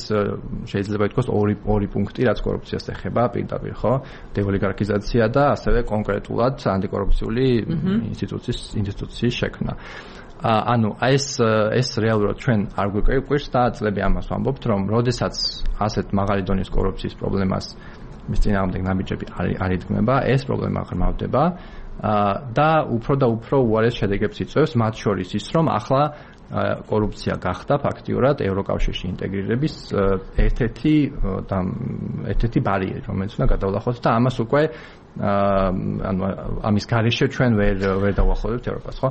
შეიძლება ითქვას ორი ორი პუნქტი, რაც კორუფციას ეხება პირდაპირ, ხო? დეოლიგარქიზაცია და ასევე კონკრეტულად ანტიკორუფციული ინსტიტუციის ინსტიტუციის შექმნა. ანუ ეს ეს რეალურად ჩვენ არ გვიკვირს და წლები ამას ვამბობთ, რომ როდესაც ასეთ მაღალი დონის კორუფციის პრობლემას მის წინააღმდეგ ნაბიჯები არ იდგმება, ეს პრობლემა ღრმავდება და უფრო და უფრო უარეს შედეგებს იწვევს, მათ შორის ის, რომ ახლა კორუფცია გახდა ფაქტიურად ევროკავშირში ინტეგრირების ერთ-ერთი და ერთ-ერთი ბარიერი, რომელიც უნდა გადავლახოთ და ამას უკვე ანუ ამის გარეშე ჩვენ ვერ ვერ დავახლებთ ევროპას, ხო?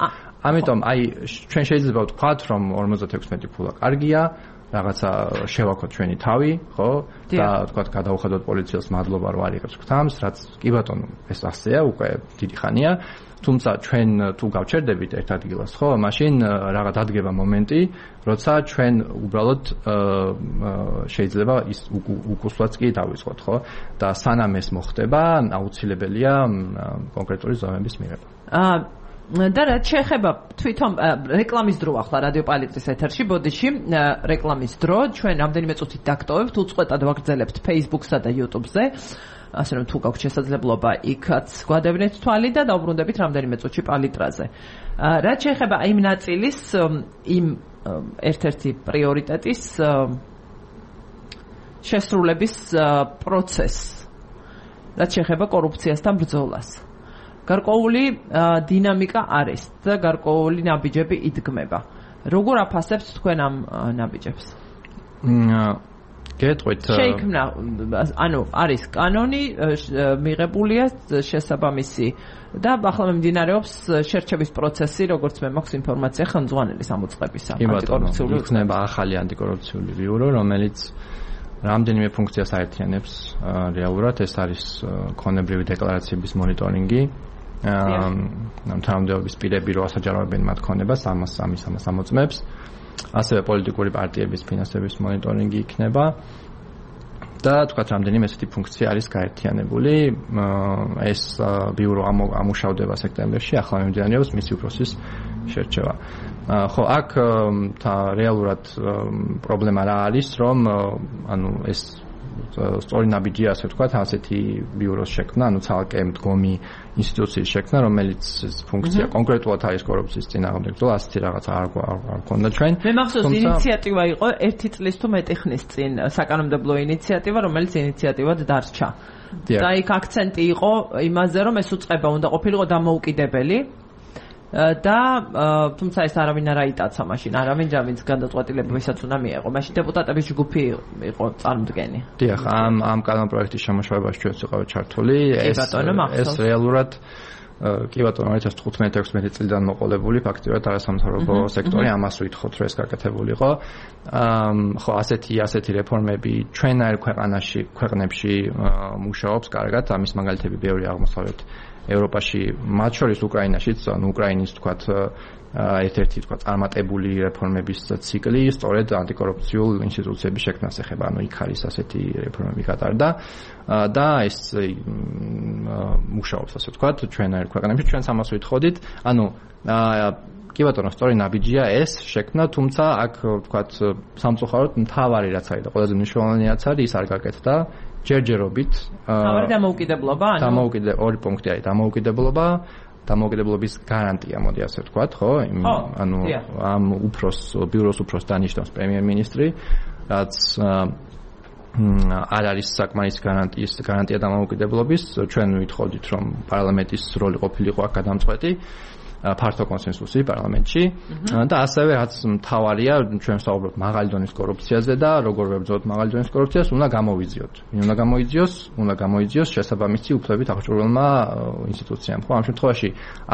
ამიტომ აი ჩვენ შეიძლება ვთქვათ, რომ ორმოცდათექვსმეტი ფულა კარგია, რაღაცა შევაქოთ ჩვენი თავი, ხო? და თქვა გადავუხადოთ პოლიციელს მადლობა რომ არიღებს გვთამს, რაც კი ბატონო, ეს ასეა, უკვე დიდი ხანია. თუმცა ჩვენ თუ გავჩერდებით ერთ ადგილას, ხო, მაშინ რაღაც დადგება მომენტი, როცა ჩვენ უბრალოდ შეიძლება ის უკუსლაც კი დავიწყოთ, ხო? და სანამ ეს მოხდება, აუცილებელია კონკრეტული ზომების მიღება. აა და რაც შეეხება თვითონ რეკლამის დრო ახლა რადიო პალიტრის ეთერში ბოდიში რეკლამის დრო ჩვენ რამდენიმე წუთით დაგტოვებთ უწყვეტად ვაგრძელებთ Facebook-სა და YouTube-ზე ასე რომ თუ გაქვთ შესაძლებლობა იქაც გვადევნეთ თვალი და დავბრუნდებით რამდენიმე წუთში პალიტრაზე რაც შეეხება იმ ნაწილის იმ ერთ-ერთი პრიორიტეტის შესრულების პროცესს რაც შეეხება კორუფციასთან ბრძოლას გარკვეული დინამიკა არის და გარკვეული ნაბიჯები იდგმება. როგორ აფასებთ თქვენ ამ ნაბიჯებს? გეტყვით. შეიქმნა, ანუ არის კანონი მიღებულია შესაბამისი და ახლა მიმდინარეობს შერჩევის პროცესი, როგორც მე მაქვს ინფორმაცია ხელმძღვანელის ამოწყებისა. ანტიკორუფციული იქნება ახალი ანტიკორუფციული ბიურო, რომელიც რამდენიმე ფუნქციას აერთიანებს რეალურად, ეს არის ქონებრივი დეკლარაციების მონიტორინგი. ამ თანამდებობის პირები რო ასაჯაროებენ მათ ქონებას ამას ამის ამას ამოწმებს ასევე პოლიტიკური პარტიების ფინანსების მონიტორინგი იქნება და თქვათ რამდენიმე ესეთი ფუნქცია არის გაერთიანებული ეს ბიურო ამუშავდება სექტემბერში ახლა მიმდინარეობს მისი უფროსის შერჩევა ხო აქ რეალურად პრობლემა რა არის რომ ანუ ეს სწორი ნაბიჯია ასე ვთქვათ, ასეთი ბიუროს შექმნა, ანუ ცალკე მდგომი ინსტიტუციის შექმნა, რომელიც ფუნქცია კონკრეტულად არის კორუფციის წინააღმდეგ ბრძოლა, ასეთი რაღაც არ არ ქონდა ჩვენ. მე მახსოვს ინიციატივა იყო ერთი წლის თუ მეტი ხნის წინ საკანონმდებლო ინიციატივა, რომელიც ინიციატივად დარჩა. და იქ აქცენტი იყო იმაზე, რომ ეს უწყება უნდა ყოფილიყო დამოუკიდებელი. და თუმცა ეს არავინ არ აიტაცა მაშინ, არავინ ჯამის გადაწყვეტილებებისაც უნდა მიეღო. მაშინ დეპუტატების ჯგუფი იყო წარმოდგენი. დიახ, ამ ამ კანონპროექტის შემოშრებაში ჩვენც ვიყავით ჩართული. ეს ეს რეალურად კი ბატონო二零თხუთმეტი ექვსმეტი წლიდან მოყოლებული ფაქტიურად არასამთავრობო სექტორი ამას ვითხოვთ რომ ეს გაკეთებულიყო. ხო, ასეთი ასეთი რეფორმები ჩვენაერ ქვეყანაში, ქვეყნებში მუშაობს კარგად, ამის მაგალითები ბევრი აღმოსავლეთ ევროპაში, მათ შორის უკრაინაშიც, ანუ უკრაინის თქვათ ერთ-ერთი თქვათ წარმატებული რეფორმების ციკლი სწორედ ანტიკორუფციულ ინსტიტუციების შექმნას ეხება, ანუ იქ არის ასეთი რეფორმები გატარდა და ეს მუშაობს ასე ვთქვათ ჩვენაერ ქვეყნებში, ჩვენც ამას ვითხოვდით, ანუ კი ბატონო, სწორი ნაბიჯია ეს შექმნა, თუმცა აქ ვთქვათ სამწუხაროდ მთავარი რაც არის და ყველაზე მნიშვნელოვანი რაც არის, ის არ გაკეთდა ჯერჯერობით. თავი დამოუკიდებლობა, ანუ დამოუკიდე ორი პუნქტი არის, დამოუკიდებლობა, დამოუკიდებლობის გარანტია, მოდი ასე ვთქვათ, ხო? ანუ ამ უფროს, ბიუროს უფროს დანიშნავს პრემიერ-მინისტრი, რაც არ არის საკმარისი გარანტიის გარანტია დამოუკიდებლობის. ჩვენ ვითხოვდით, რომ პარლამენტის როლი ყოფილიყო აქ გადამწყვეტი. ფართო კონსენსუსი პარლამენტში და ასევე რაც მთავარია ჩვენ ვსაუბრობთ მაღალი დონის კორუფციაზე და როგორ ვებრძოლოთ მაღალი დონის კორუფციას უნდა გამოვიძიოთ. ვინ უნდა გამოიძიოს? უნდა გამოიძიოს შესაბამისი უფლებით აღჭურვილმა ინსტიტუციამ. ხო, ამ შემთხვევაში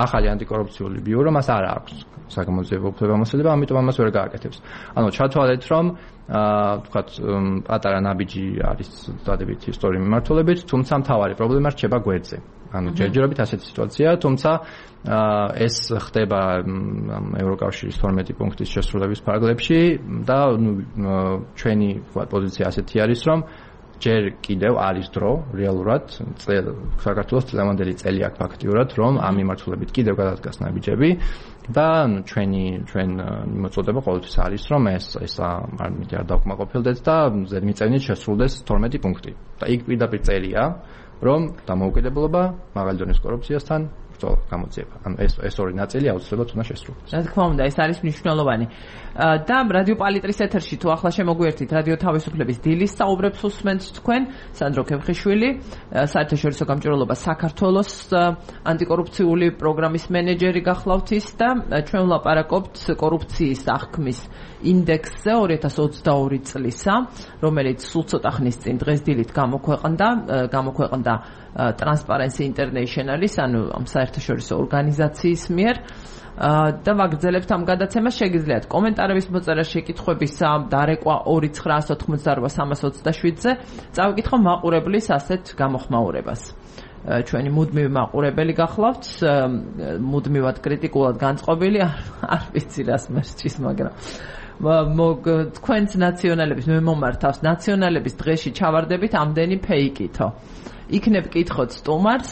ახალი ანტიკორუფციული ბიურო მას არ აქვს საგამოძიებო უფლებამოსილება, ამიტომ ამას ვერ გააკეთებს. ანუ ჩათვალეთ, რომ აა თქვათ პატარა ნაბიჯი არის დადებითი ისტორიული მიმართულებით, თუმცა მთავარი პრობლემა რჩება გვერდზე. ანუ ჯერჯერობით ასეთი სიტუაცია, თუმცა ეს ხდება ევროკავშირის თორმეტი პუნქტის შესრულების ფარგლებში და ჩვენი პოზიცია ასეთი არის, რომ ჯერ კიდევ არის დრო რეალურად საქართველოს წლევანდელი წელი აქვს ფაქტიურად, რომ ამ მიმართულებით კიდევ გადადგას ნაბიჯები და ჩვენი ჩვენ მოწოდება ყოველთვის არის, რომ ეს ეს არ მიდი არ დავკმაყოფილდეთ და ზედმიწევნით შესრულდეს თორმეტი პუნქტი. და იქ პირდაპირ წერია, რომ დამოუკიდებლობა მაღალი დონის კორუფციასთან ბრძოლა გამოძიება. ანუ ეს ეს ორი ნაწილი აუცილებლად უნდა შესრულდეს. რა თქმა უნდა, ეს არის მნიშვნელოვანი. და რადიო პალიტრის ეთერში თუ ახლა შემოგვიერთით რადიო თავისუფლების დილის საუბრებს უსმენთ თქვენ, სანდრო ქემხიშვილი, საერთაშორისო გამჭვირვალობა საქართველოს ანტიკორუფციული პროგრამის მენეჯერი გახლავთ ის და ჩვენ ვლაპარაკობთ კორუფციის აღქმის ინდექსზე ორი ათას ოცდაორი წლისა, რომელიც სულ ცოტა ხნის წინ დღეს დილით გამოქვეყნდა, გამოქვეყნდა Transparency International-ის, ანუ ამ საერთაშორისო ორგანიზაციის მიერ. და ვაგრძელებთ ამ გადაცემას. შეგიძლიათ კომენტარების მოწერა, შეკითხვებისა დარეკვა ორი ცხრაას ოთხმოცდაორ სამას ოცდაშვიდზე წავიკითხო მაყურებლის ასეთ გამოხმაურებას. ჩვენი მუდმივი მაყურებელი გახლავთ, მუდმივად კრიტიკულად განწყობილი, არ ვიცი რას მერჩის, მაგრამ თქვენს ნაციონალების მე მომართავს ნაციონალების დღეში ჩავარდებით ამდენი ფეიკითო. იქნებ კითხოთ სტუმარს,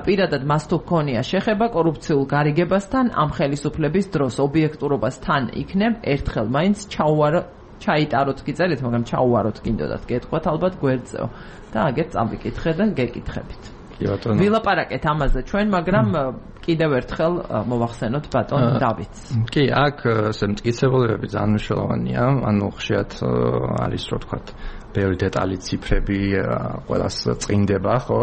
პირადად მას თუ ჰქონია შეხება კორუფციულ გარიგებასთან, ამ ხელისუფლების დროს ობიექტურობასთან იქნებ ერთხელ მაინც ჩაუვარო ჩაიტაროთ კი წერით, მაგრამ ჩაუვაროთ კიდოდათ გეტყვათ ალბათ გვერდზეო და აგერ წავიკითხე და გეკითხებით. ვილაპარაკეთ ამაზე ჩვენ, მაგრამ კიდევ ერთხელ მოვახსენოთ ბატონ დავიდს. კი, აქ ესე მტკიცებულებები ძალიან მნიშვნელოვანია, ანუ ხშირად არის რო ვთქვათ ბევრი დეტალი, ციფრები ყველას წინდება, ხო,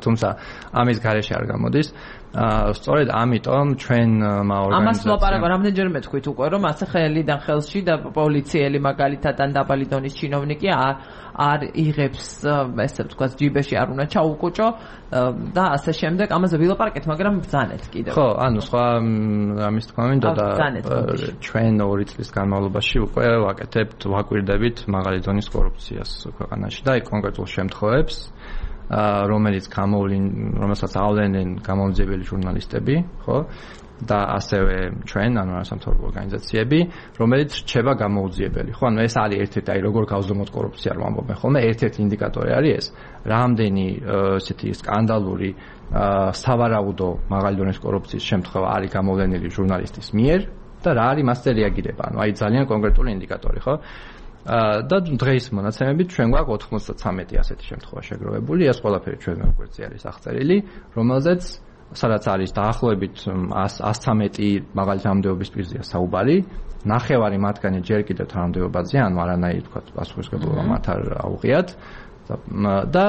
თუმცა ამის გარეშე არ გამოდის. სწორედ ამიტომ ჩვენ ორგანიზაცია ამას ვლაპარაკო რამდენჯერმე თქვით უკვე, რომ ასე ხელიდან ხელში და პოლიციელი მაგალითად ან დაბალი დონის ჩინოვნიკი არ არ იღებს, ესე ვთქვათ, ჯიბეში არ უნდა ჩაუკუჭო და ასე შემდეგ. ამაზე ვილაპარაკეთ, მაგრამ ბრძანეთ კიდევ. ხო, ანუ სხვა ამის თქმა მინდა და ჩვენ ორი წლის განმავლობაში უკვე ვაკეთებთ, ვაკვირდებით მაღალი დონის კორუფციას ქვეყანაში და იქ კონკრეტულ შემთხვევებს, რომელიც გამოვლენ, რომელსაც ავლენენ გამომძიებელი ჟურნალისტები, ხო? და ასევე ჩვენ, ანუ არასამთავრობო ორგანიზაციები, რომელიც რჩება გამოუძიებელი. ხო, ანუ ეს არის ერთ-ერთი, აი როგორ გავზომოთ კორუფცია, რომ ამბობენ ხოლმე, ერთ-ერთი ინდიკატორი არის ეს, რამდენი ესეთი სკანდალური, სავარაუდო მაღალი დონის კორუფციის შემთხვევა არის გამოვლენილი ჟურნალისტის მიერ და რა არის მასზე რეაგირება. ანუ აი ძალიან კონკრეტული ინდიკატორი, ხო? და დღეის მონაცემებით ჩვენ გვაქვს ოთხმოცდათრამეტი ასეთი შემთხვევა შეგროვებული, ეს ყველაფერი ჩვენ გვერდზე არის აღწერილი, რომელზეც სადაც არის დაახლოებით ას თერთმეტი მაღალი თანამდებობის პირზეა საუბარი, ნახევარი მათგანი ჯერ კიდევ თანამდებობაზეა, ანუ არანაირი თქვა პასუხისმგებლობა მათ არ აუღიათ და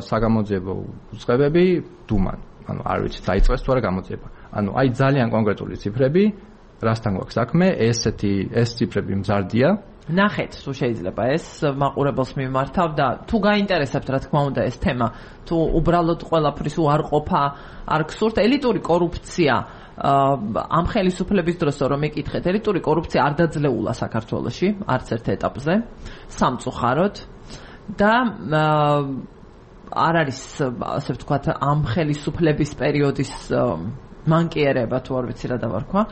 საგამოძიებო უწყებები დუმან, ანუ არ ვიცი დაიწყეს თუ არა გამოძიება. ანუ აი ძალიან კონკრეტული ციფრები, რასთან გვაქვს საქმე, ესეთი ეს ციფრები მზარდია. ნახეთ, თუ შეიძლება ეს მაყურებელს მიმართავ და თუ გაინტერესებთ, რა თქმა უნდა, ეს თემა, თუ უბრალოდ ყველაფრის უარყოფა არ გსურთ, ელიტური კორუფცია ამ ხელისუფლების დროს რომ ეკითხეთ, ელიტური კორუფცია არ დაძლეულა საქართველოში, არც ერთ ეტაპზე, სამწუხაროდ და არ არის, ასე ვთქვათ, ამ ხელისუფლების პერიოდის მანკიერება, თუ არ ვიცი რა დავარქვა.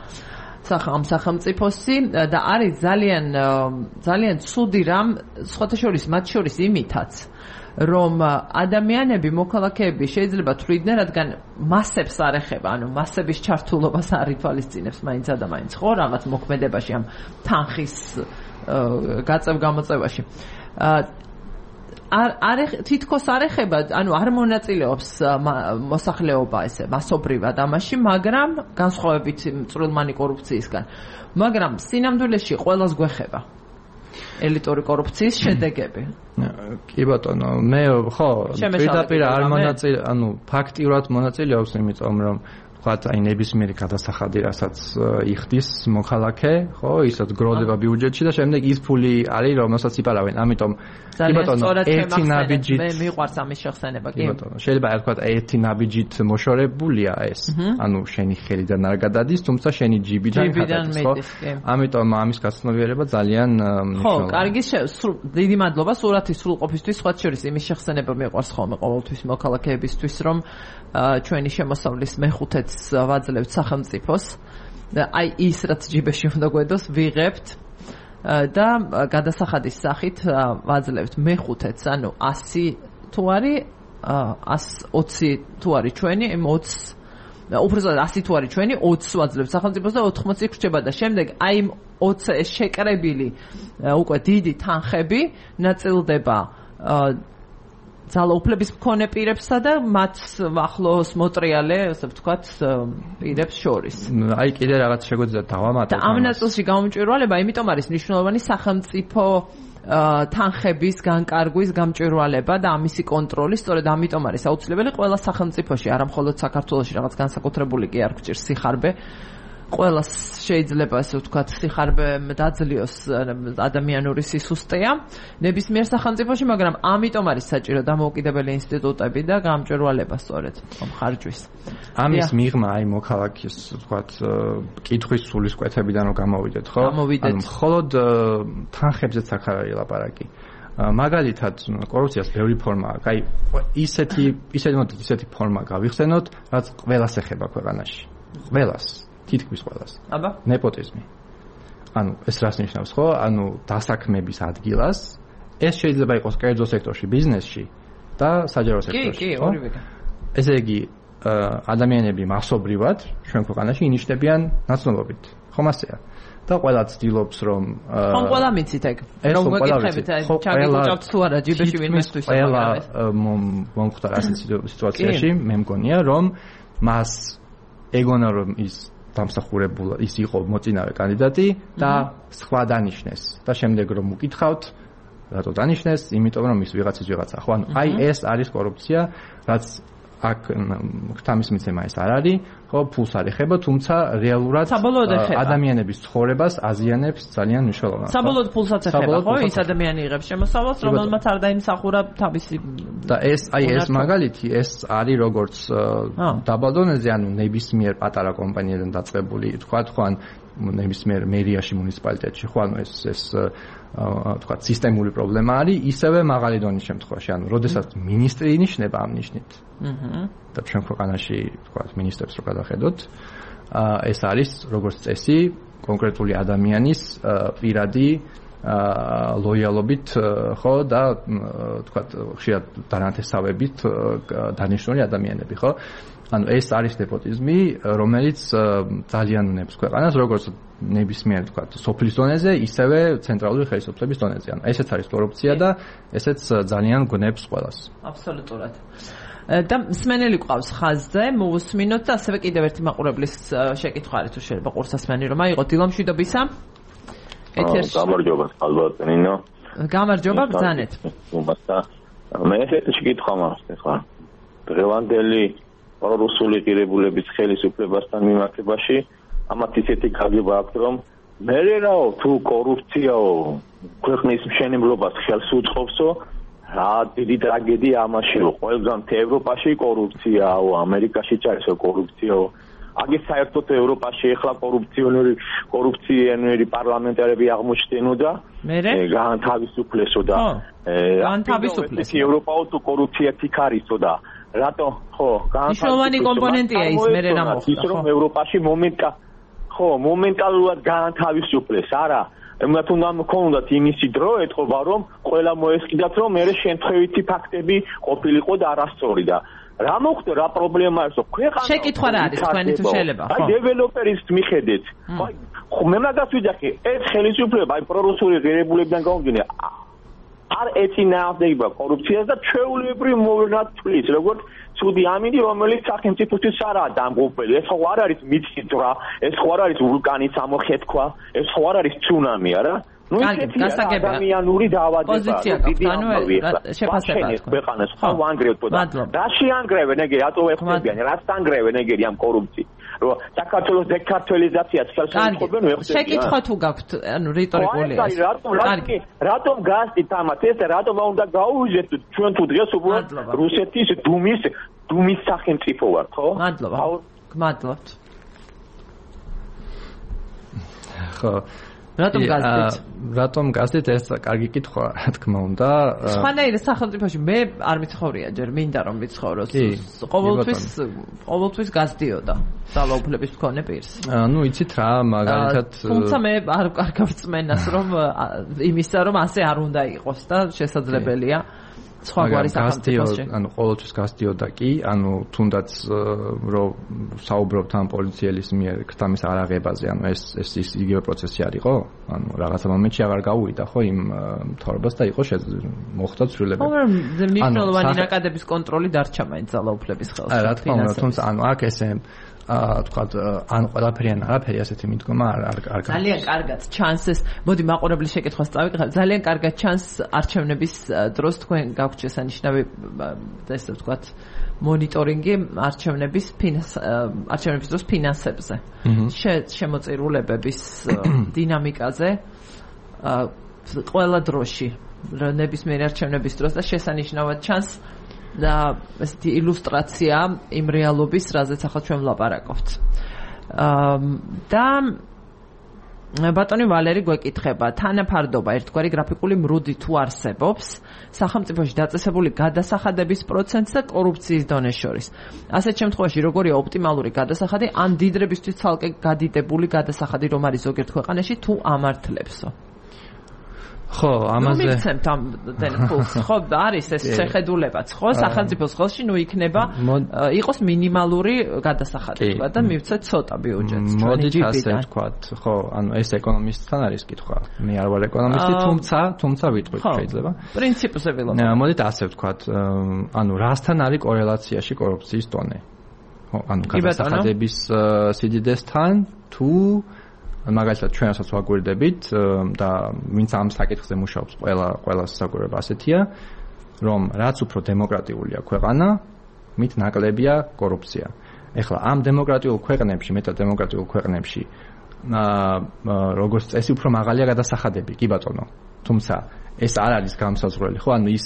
ამ სახელმწიფოსი და არის ძალიან ძალიან ცუდი რამ, სხვათა შორის მათ შორის იმითაც, რომ ადამიანები, მოქალაქეები შეიძლება თვლიდნენ, რადგან მასებს არ ეხება, ანუ მასების ჩართულობას არ ითვალისწინებს მაინც და მაინც, ხო, რაღაც მოქმედებაში, ამ თანხის გაწევ-გამოწევაში. არ არ თითქოს არ ეხება, ანუ არ მონაწილეობს მოსახლეობა ესე მასობრივად ამაში, მაგრამ განსხვავებით წვრილმანი კორუფციისგან. მაგრამ სინამდვილეში ყველას გვეხება ელიტური კორუფციის შედეგები. კი ბატონო, მე ხო, პირდაპირ არ მონაწილე, ანუ ფაქტიურად მონაწილეობს, იმიტომ რომ ვთქვათ, აი ნებისმიერი გადასახადი, რასაც იხდის მოქალაქე, ხო, ისაც გროვდება ბიუჯეტში და შემდეგ ის ფული არის, რომელსაც იპარავენ. ამიტომ კი ბატონო, ერთი ნაბიჯით მე მიყვარს ამის შეხსენება, კი. კი ბატონო, შეიძლება ვთქვათ, ერთი ნაბიჯით მოშორებულია ეს. ანუ შენი ხელიდან არ გადადის, თუმცა შენი ჯიბიდან გადადის, ხო? ამიტომ ამის გაცნობიერება ძალიან ხო, მნიშვნელოვანია. კარგი, დიდი მადლობა სურათის სრულყოფისთვის, სხვა შორის იმის შეხსენება მიყვარს ხოლმე ყოველთვის მოქალაქეებისთვის, რომ ჩვენი შემოსავლის მეხუთეც ვაძლევთ სახელმწიფოს. აი ის რაც ჯიბეში უნდა გვედოს, ვიღებთ და გადასახადის სახით ვაძლევთ მეხუთეც, ანუ ასი თუ არის, ასი ოცი თუ არის ჩვენი, ოცი უბრალოდ ასი თუ არის ჩვენი, ოცს ვაძლევთ სახელმწიფოს და ოთხმოცი გრჩება და შემდეგ აი ოცი ეს შეკრებილი უკვე დიდი თანხები ნაწილდება ძალაუფლების მქონე პირებსა და მათ ახლოს მოტრიალე, ასე ვთქვათ, პირებს შორის. აი კიდე რაღაც შეგვიძლია დავამატოთ. და ამ ნაწილში გამომჭვირვალება, იმიტომ არის მნიშვნელოვანი სახელმწიფო თანხების განკარგვის გამჭვირვალება და ამისი კონტროლი, სწორედ ამიტომ არის აუცილებელი ყველა სახელმწიფოში, არა მხოლოდ საქართველოში, რაღაც განსაკუთრებული კი არ გვჭირს სიხარბე, ყველას შეიძლება ასე ვთქვათ, სიხარბე დაძლიოს ადამიანური სისუსტეა ნებისმიერ სახელმწიფოში, მაგრამ ამიტომ არის საჭირო დამოუკიდებელი ინსტიტუტები და გამჭვირვალება სწორედ ხარჯვის. ამის მიღმა აი მოქალაქის ვთქვათ კითხვის სულისკვეთებიდან რომ გამოვიდეთ, ხო? ანუ მხოლოდ თანხებზეც აქ არ არის ლაპარაკი. მაგალითად, კორუფციას ბევრი ფორმა აქვს. აი ისეთი ისეთი მოდით ისეთი ფორმა გავიხსენოთ, რაც ყველას ეხება ქვეყანაში. ყველას, თითქმის ყველას. აბა, ნეპოტიზმი. ანუ ეს რას ნიშნავს, ხო? ანუ დასაქმების ადგილას ეს შეიძლება იყოს კერძო სექტორში, ბიზნესში და საჯარო სექტორში. კი, კი, ორივე. ესე იგი, ადამიანები მასობრივად ჩვენ ქვეყანაში ინიშნებიან ნაცნობობით. ხომ ასეა? და ყველა ცდილობს რომ ხომ ყველა მიცით ეგ რომ ვეკითხებით აი ჩაგიკუჭავთ თუ არა ჯიბეში ვინმესთვის ყველა მომხდარ ასეთ სიტუაციაში მე მგონია რომ მას ეგონა რომ ის დამსახურებულა ის იყო მოწინავე კანდიდატი და სხვა დანიშნეს და შემდეგ რომ უკითხავთ რატო დანიშნეს იმიტომ რომ ის ვიღაცის ვიღაცა ხო ანუ აი ეს არის კორუფცია რაც აქ ქთამის მიცემა ეს არ არის, ხო, ფულს არ ეხება, თუმცა რეალურად ადამიანების ცხოვრებას აზიანებს ძალიან მნიშვნელოვნად. საბოლოოდ ფულსაც ეხება, ხო, ის ადამიანი იღებს შემოსავალს, რომელმაც არ დაიმსახურა თავისი და ეს აი ეს მაგალითი, ეს არის როგორც დაბალ დონეზე, ანუ ნებისმიერ პატარა კომპანიიდან დაწყებული, თქვა, ხო, ან ნებისმიერ მერიაში, მუნიციპალიტეტში, ხო, ანუ ეს ეს თქვა სისტემური პრობლემა არის, ისევე მაღალი დონის შემთხვევაში, ანუ როდესაც მინისტრი ინიშნება ამ ნიშნით. აჰა. და ჩვენ ქვეყანაში თქვა მინისტრებს რო გადახედოთ, ეს არის როგორც წესი კონკრეტული ადამიანის პირადი ლოიალობით, ხო, და თქვა ხშირად დანათესავებით დანიშნული ადამიანები, ხო? ანუ ეს არის ნეპოტიზმი, რომელიც ძალიან უნებს ქვეყანას, როგორც ნებისმიერ თქვა სოფლის დონეზე, ისევე ცენტრალური ხელისუფლების დონეზე. ანუ ესეც არის კორუფცია და ესეც ძალიან გნებს ყველას. აბსოლუტურად. და მსმენელი ყავს ხაზზე, მოусმინოთ და ასევე კიდევ ერთი მაყურებლის შეკითხვა არის თუ შეიძლება ყურსასმენი რომ აიღო დილამშვიდობისა. ეთერში. გამარჯობა, ალბათინო. გამარჯობა, ბრძანეთ. მე ესეთი შეკითხვა მაქვს ახლა. დღევანდელი პრორუსული ღირებულების ხელისუფლებასთან მიმართებაში ამათ ისეთი გაგება აქვს რომ მე რაო თუ კორუფციაო ქვეყნის მშენებლობას ხელს უწყობსო რა დიდი ტრაგედია ამაშიო ყველგან ევროპაში კორუფციაო ამერიკაში ჩაისო კორუფციაო აგის საერთოდ ევროპაში ახლა კორუფციონერი კორუფციონერი პარლამენტარები აღმოჩნდენოდა მე განთავისუფლესო და განთავისუფლეს ევროპაო თუ კორუფცია თიქარისო და რატო ხო მნიშვნელოვანი კომპონენტია ის მე რა მოხდა ის რომ ევროპაში მომენტა ხო მომენტალურად განთავისუფლეს არა ემათ უნდა მქონდათ იმისი დრო ეთყობა რომ ყველა მოესყიდათ რომ მე შემთხვევითი ფაქტები ყოფილიყო და არასწორი და რა მოხდა რა პრობლემა არის ქვეყანა შეკითხვა რა არის თქვენი თუ შეიძლება ხო აი დეველოპერის მიხედეთ ხო მე მაგას ვიძახი ეს ხელისუფლება აი პრორუსული ღირებულებიდან გამომდინე არ ეწინააღმდეგება კორუფციას და ჩვეულებრივ მოვლენად თვლის როგორც ცუდი ამინდი რომელიც სახელმწიფოსთვის არაა დამღუპელი ეს ხო არ არის მიწისძვრა ეს ხო არ არის ვულკანის ამოხეთქვა ეს ხო არ არის ცუნამი არა ნუ ისეთი ადამიანური დაავადება დიდი ამბავი შეფასება ქვეყანას ხო ვანგრევთო და რაში ანგრევენ ეგ რატო ეხმებიან რას ანგრევენ ეგერი ამ კორუფციით რომ საქართველოს დეკარტელიზაციას ხელს უწყობენ ვეხსენებიან შეკითხვა თუ გაქვთ ანუ რიტორიკულია ეს კარგი რატომ გასდით ამათ ეს რატომ უნდა გაუვიჟეთ ჩვენ თუ დღეს უბრალოდ რუსეთის დუმის დუმის სახელმწიფო ვართ ხო მადლობა გმადლობთ ხო რატომ გასდით? რატომ გასდით ეს კარგი კითხვა, რა თქმა უნდა. სხვანაირად სახელმწიფოში მე არ მიცხოვრია ჯერ, მინდა რომ ვიცხოვროს. ყოველთვის ყოველთვის გასდიოდა ძალაუფლების მქონე პირს. ну იცით რა, მაგალითად თუმცა მე არ კარგავ წმენას რომ იმისა რომ ასე არ უნდა იყოს და შესაძლებელია. სხვაგვარი სახელმწიფოში. ანუ ყოველთვის გასდიოდა კი, ანუ თუნდაც რომ საუბრობთ ამ პოლიციელის მიერ ქთამის არაღებაზე, ანუ ეს ეს ის იგივე პროცესი არისო? ანუ რაღაცა მომენტში აღარ გაუვიდა ხო იმ მთავრობას და იყო მოხდა ცვლილებები. მაგრამ მნიშვნელოვანი ნაკადების კონტროლი დარჩა მაინც ძალაუფლების ხელში. რა თქმა უნდა, თუმცა ანუ აქ ესე აა თქვათ ან ყველაფერი ან არაფერი ასეთი მიდგომა არ არ არ ძალიან კარგად ჩანს ეს მოდი მაყურებლის შეკითხვას წავიღებ ძალიან კარგად ჩანს არჩევნების დროს თქვენ გაქვთ შესანიშნავი ესე ვთქვათ მონიტორინგი არჩევნების არჩევნების დროს ფინანსებზე შემოწირულებების დინამიკაზე ყველა დროში ნებისმიერი არჩევნების დროს და შესანიშნავად ჩანს და ესეთი ილუსტრაცია იმ რეალობის, რაზეც ახლა ჩვენ ვლაპარაკობთ. და ბატონი ვალერი გვეკითხება, თანაფარდობა ერთგვარი გრაფიკული მრუდი თუ არსებობს სახელმწიფოში დაწესებული გადასახადების პროცენტს და კორუფციის დონეს შორის. ასეთ შემთხვევაში როგორია ოპტიმალური გადასახადი ან დიდრებისთვის ცალკე გადიდებული გადასახადი რომ არის ზოგიერთ ქვეყანაში თუ ამართლებსო? ხო, ამაზე მიცემთ ამ დენფულს. ხო, არის ეს შეხედულებაც, ხო, სახელმწიფოს ხელში ნუ იქნება იყოს მინიმალური გადასახადი თქვა და მივცეთ ცოტა ბიუჯეტს. მოდით ასე ვთქვათ, ხო, ანუ ეს ეკონომისტთან არის კითხვა. მე არ ვარ ეკონომისტი, თუმცა, თუმცა ვიტყვით შეიძლება. პრინციპზე ვილაპარაკობ. მოდით ასე ვთქვათ, ანუ რასთან არის კორელაციაში კორუფციის დონე? ხო, ანუ გადასახადების სიდიდესთან თუ მაგალითად ჩვენასაც ვაგვირდებით და ვინც ამ საკითხზე მუშაობს ყველა ყველა საგვირება ასეთია რომ რაც უფრო დემოკრატიულია ქვეყანა მით ნაკლებია კორუფცია. ეხლა ამ დემოკრატიულ ქვეყნებში, მეტად დემოკრატიულ ქვეყნებში აა როგორც წესი უფრო მაღალია გადასახადები, კი ბატონო. თუმცა ეს არ არის გამსაზღვრელი, ხო? ანუ ის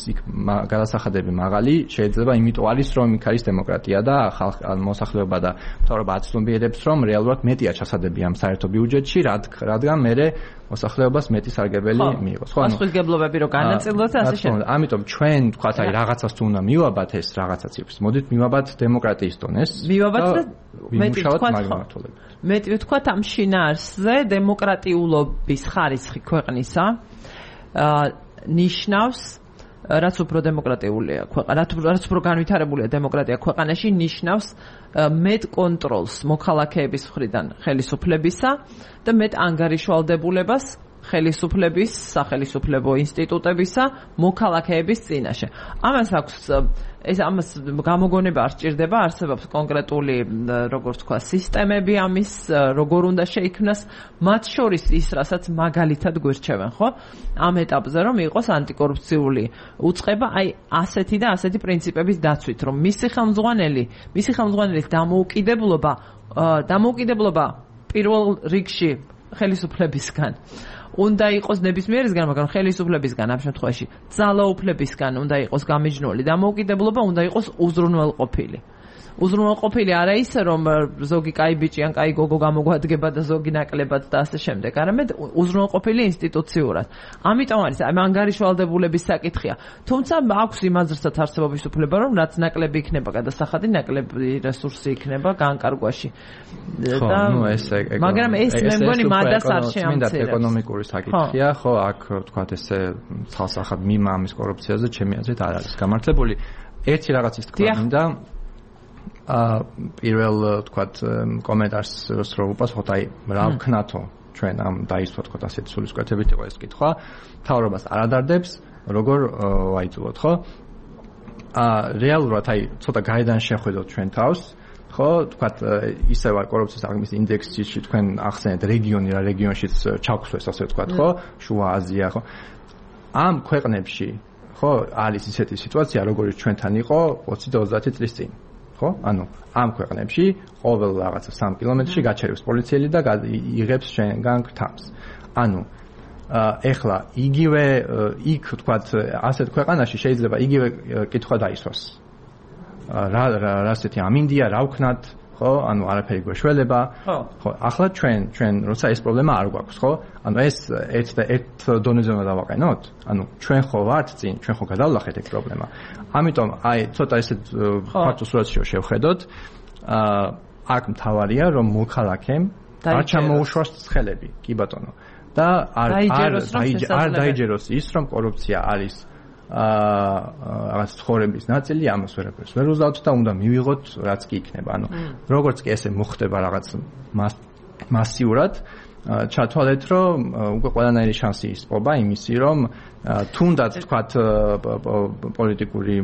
გადასახადები მაღალი შეიძლება იმიტომ არის, რომ იქ არის დემოკრატია და ხალხ მოსახლეობა და მთავრობა აცნობიერებს, რომ რეალურად მეტია ჩასადები ამ საერთო ბიუჯეტში, რადგან მერე მოსახლეობას მეტი სარგებელი მიიღოს. ხო, ანუ პასუხისმგებლობები რო განაწილოთ ასე შემდეგ. ამიტომ ჩვენ თქვათ, აი რაღაცას თუ უნდა მივაბათ ეს რაღაცაც ის. მოდით მივაბათ დემოკრატიის დონეს. მივაბათ და მეტი თქვათ, მეტი თქვათ ამ შინაარსზე დემოკრატიულობის ხარისხი ქვეყნისა აა ნიშნავს რაც უფრო დემოკრატიულია ქვეყანა, რაც უფრო განვითარებულია დემოკრატია ქვეყანაში, ნიშნავს მეტ კონტროლს მოქალაქეების მხრიდან ხელისუფლებისა და მეტ ანგარიშვალდებულებას ხელისუფლების, სახელისუფლებო ინსტიტუტებისა მოქალაქეების წინაშე. ამას აქვს ეს ამას გამოგონება არ სჭირდება, არსებობს კონკრეტული როგორც თქვა სისტემები ამის, როგორ უნდა შეიქმნას, მათ შორის ის, რასაც მაგალითად გვირჩევენ, ხო? ამ ეტაპზე რომ იყოს ანტიკორუფციული უწყება, აი ასეთი და ასეთი პრინციპების დაცვით, რომ მისი ხელმძღვანელი, მისი ხელმძღვანელის დამოუკიდებლობა, დამოუკიდებლობა პირველ რიგში ხელისუფლებისგან უნდა იყოს ნებისმიერისგან, მაგრამ ხელისუფლებისგან ამ შემთხვევაში ძალაუფლებისგან უნდა იყოს გამიჯნული დამოუკიდებლობა, უნდა იყოს უზრუნველყოფილი. უზრუნველყოფილი არა ისე, რომ ზოგი კაი ბიჭი ან კაი გოგო გამოგვადგება და ზოგი ნაკლებად და ასე შემდეგ, არამედ უზრუნველყოფილი ინსტიტუციურად. ამიტომ არის ამ ანგარიშვალდებულების საკითხია. თუმცა აქვს იმაზრსაც არსებობის უფლება, რომ რაც ნაკლები იქნება გადასახადი, ნაკლები რესურსი იქნება განკარგვაში. და მაგრამ ეს მე მგონი მადას არ შეამცირებს. ეკონომიკური საკითხია, ხო, აქ თქვათ ესე ცალსახად მიმა ამის კორუფციაზე ჩემი აზრით არ არის გამართლებული. ერთი რაღაცის თქვა მინდა აა პირველ თქვათ კომენტარს რო უპასუხოთ, აი რა ვქნათო ჩვენ ამ დაისვა თქვათ ასეთი სულისკვეთებით იყო ეს კითხვა. მთავრობას არ ადარდებს, როგორ ვაიწულოთ, ხო? აა რეალურად აი ცოტა გაიდან შეხვედოთ ჩვენ თავს, ხო? თქვათ ისე ვარ კორუფციის აღმის ინდექსში თქვენ ახსენეთ რეგიონი რა რეგიონშიც ჩაგვსვეს ასე ვთქვათ, ხო? შუა აზია, ხო? ამ ქვეყნებში, ხო, არის ისეთი სიტუაცია, როგორიც ჩვენთან იყო ოცი და ოცდაათი წლის წინ. ხო? ანუ ამ ქვეყნებში ყოველ რაღაცა სამი კილომეტრში გაჩერებს პოლიციელი და იღებს შენგან თავს. ანუ ეხლა იგივე იქ თქვათ ასეთ ქვეყანაში შეიძლება იგივე კითხვა დაისვას. რა რა ასეთი ამინდია, რა ვქნათ, ხო? ანუ არაფერი გვეშველება. ხო, ახლა ჩვენ ჩვენ როცა ეს პრობლემა არ გვაქვს, ხო? ანუ ეს ერთ და ერთ დონეზე უნდა დავაყენოთ. ანუ ჩვენ ხო ვართ წინ, ჩვენ ხო გადავლახეთ ეს პრობლემა. ამიტომ აი ცოტა ესეთ ფაქტო სურათში შევხედოთ. აა აქ მთავარია რომ მოქალაქემ არ ჩამოუშვას ცხელები, კი ბატონო. და არ არ დაიჯეროს ის რომ კორუფცია არის აა რაღაც ცხოვრების ნაწილი, ამას ვერაფერს ვერ უზავთ და უნდა მივიღოთ რაც კი იქნება. ანუ როგორც კი ესე მოხდება რაღაც მასიურად, ჩათვალეთ, რომ უკვე ყველანაირი შანსი ისპობა იმისი, რომ თუნდაც თქვათ პოლიტიკური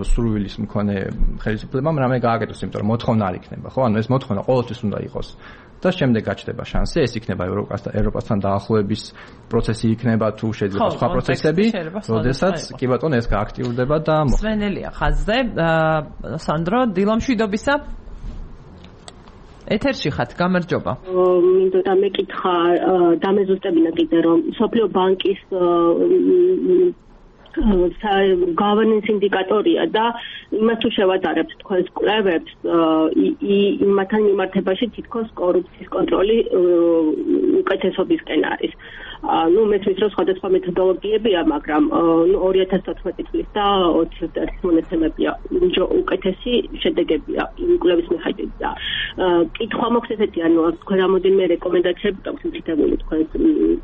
სურვილის მქონე ხელისუფლებამ რამე გააკეთოს, იმიტომ რომ მოთხოვნა არ იქნება, ხო? ანუ ეს მოთხოვნა ყოველთვის უნდა იყოს. და შემდეგ გაჩნდება შანსი, ეს იქნება ევროპასთან ევროპასთან დაახლოების პროცესი იქნება თუ შეიძლება სხვა პროცესები, როდესაც კი ბატონო ეს გააქტიურდება და სვენელია ხაზზე, სანდრო, დილამშვიდობისა. ეთერში ხართ, გამარჯობა. მინდოდა მეკითხა, დამეზუსტებინა კიდე რომ სოფლიო ბანკის governance ინდიკატორია და იმას თუ შევადარებთ თქვენს კვლევებს იმათთან მიმართებაში თითქოს კორუფციის კონტროლი უკეთესობისკენ არის. ნუ მესმის რომ სხვადასხვა მეთოდოლოგიებია, მაგრამ ორი ათას თოთხმეტი წლის და ოცი წლის მონაცემებია უკეთესი შედეგებია იმ კვლევის მიხედვით და კითხვა მოხდეს ესეთი, ანუ თქვენ რამოდენიმე რეკომენდაციები გაქვთ მითითებული თქვენ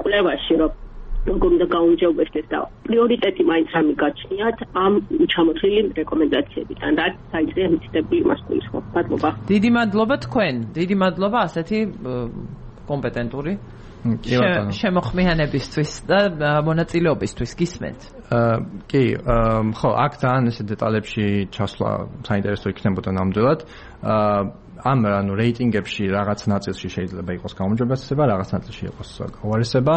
კვლევაში, რომ როგორ უნდა გაუმჯობესდეს და პრიორიტეტი მაინც რამე გაჩნიათ ამ ჩამოთვლილი რეკომენდაციებიდან, რაც საინტერესო მითითებული იმას გულისხმობს. მადლობა. დიდი მადლობა თქვენ. დიდი მადლობა ასეთი კომპეტენტური შემოხმიანებისთვის და მონაწილეობისთვის. გისმენთ? კი, ხო, აქ ძალიან ესე დეტალებში ჩასვლა საინტერესო იქნებოდა ნამდვილად. ამ ანუ რეიტინგებში რაღაც ნაწილში შეიძლება იყოს გაუმჯობესება, რაღაც ნაწილში იყოს გაუარესება.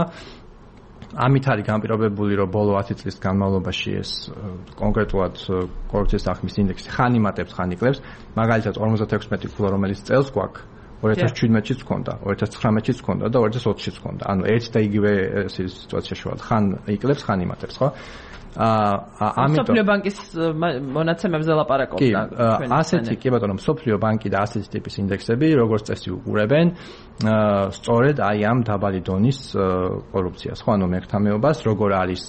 ამით არის განპირობებული, რომ ბოლო ათი წლის განმავლობაში ეს კონკრეტულად კორუფციის აღქმის ინდექსი ხან იმატებს, ხან იკლებს. მაგალითად ორმოცდათექვსმეტი ქულა, რომელიც წელს გვაქვს, ორი ათას შვიდმეტშიც ჰქონდა, ორი ათას ცხრამეტშიც ჰქონდა და ორი ათას ოცშიც ჰქონდა. ანუ ერთ და იგივე სიტუაციაში ვართ, ხან იკლებს, ხან იმატებს, ხო? აა ამიტომ სოფლიო ბანკის მონაცემებზე ლაპარაკობთ. კი, ასეთი კი ბატონო, სოფლიო ბანკი და ასეთი ტიპის ინდექსები, როგორც წესი უყურებენ სწორედ აი ამ დაბალი დონის კორუფციას, ხო, ანუ მერქთამეობას, როგორ არის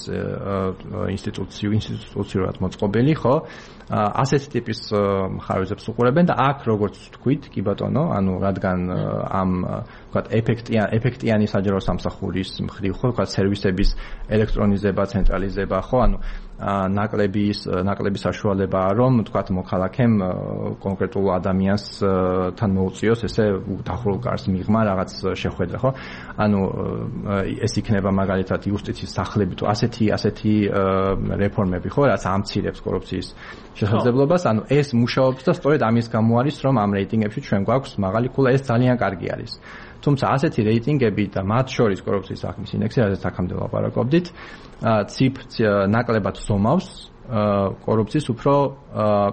ინსტიტუციო ინსტიტუციურად მოწყობილი, ხო? ასეთი ტიპის მხარეზებს უყურებენ და აქ როგორც თქვით, კი ბატონო, ანუ რადგან ამ ვთქვათ ეფექტიან ეფექტიანი საჯარო სამსახურის მხრივ, ხო, ვთქვათ სერვისების ელექტრონიზება, ცენტრალიზება, ხო, ანუ ნაკლების ნაკლების საშუალებაა, რომ ვთქვათ მოქალაქემ კონკრეტულ ადამიანს თან მოუწიოს ესე დახურულ კარს მიღმა რაღაც შეხვედრა, ხო? ანუ ეს იქნება მაგალითად იუსტიციის სახლები თუ ასეთი ასეთი რეფორმები, ხო, რაც ამცირებს კორუფციის შესაძლებლობას, ანუ ეს მუშაობს და სწორედ ამის გამო არის, რომ ამ რეიტინგებში ჩვენ გვაქვს მაღალი ქულა, ეს ძალიან კარგი არის. თუმცა ასეთი რეიტინგები და მათ შორის კორუფციის აღქმის ინდექსი, რაზეც აქამდე ლაპარაკობდით, ციფ ნაკლებად ზომავს კორუფციის უფრო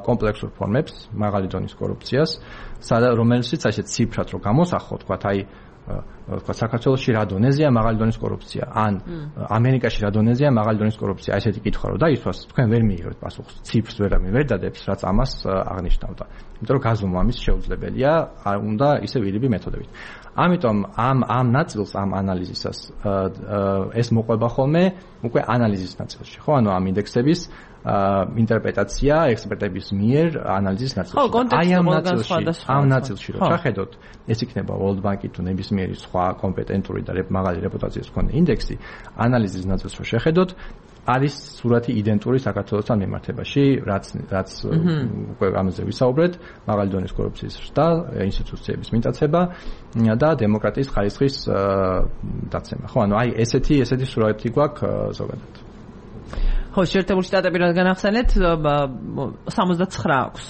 კომპლექსურ ფორმებს, მაღალი დონის კორუფციას, რომელშიც ასეთ ციფრად რო გამოსახო, თქვათ აი ვთქვათ საქართველოში რა დონეზეა მაღალი დონის კორუფცია, ან ამერიკაში რა დონეზეა მაღალი დონის კორუფცია, ესეთი კითხვა რო დაისვას, თქვენ ვერ მიიღებთ პასუხს, ციფრს ვერავინ ვერ დადებს, რაც ამას აღნიშნავდა. იმიტომ რომ გაზომვა ამის შეუძლებელია, უნდა ისე ვირიბი მეთოდებით. ამიტომ ამ ამ ნაწილს ამ ანალიზისას ეს მოყვება ხოლმე უკვე ანალიზის ნაწილში, ხო, ანუ ამ ინდექსების ინტერპრეტაცია ექსპერტების მიერ ანალიზის ნაწილში. აი ამ ნაწილში, ამ ნაწილში რომ ჩახედოთ, ეს იქნება World Bank-ი თუ ნებისმიერი სხვა კომპეტენტური და მაღალი რეპუტაციის მქონე ინდექსი, ანალიზის ნაწილს რო შეხედოთ, არის სურათი იდენტური საქართველოსთან მიმართებაში, რაც რაც უკვე ამაზე ვისაუბრეთ, მაღალი დონის კორუფციის ზრდა, ინსტიტუციების მიტაცება და დემოკრატიის ხარისხის დაცემა. ხო, ანუ აი ესეთი ესეთი სურათი გვაქვს ზოგადად. ხო, შეერთებული შტატები რადგან ახსენეთ, სამოცდაცხრა აქვს.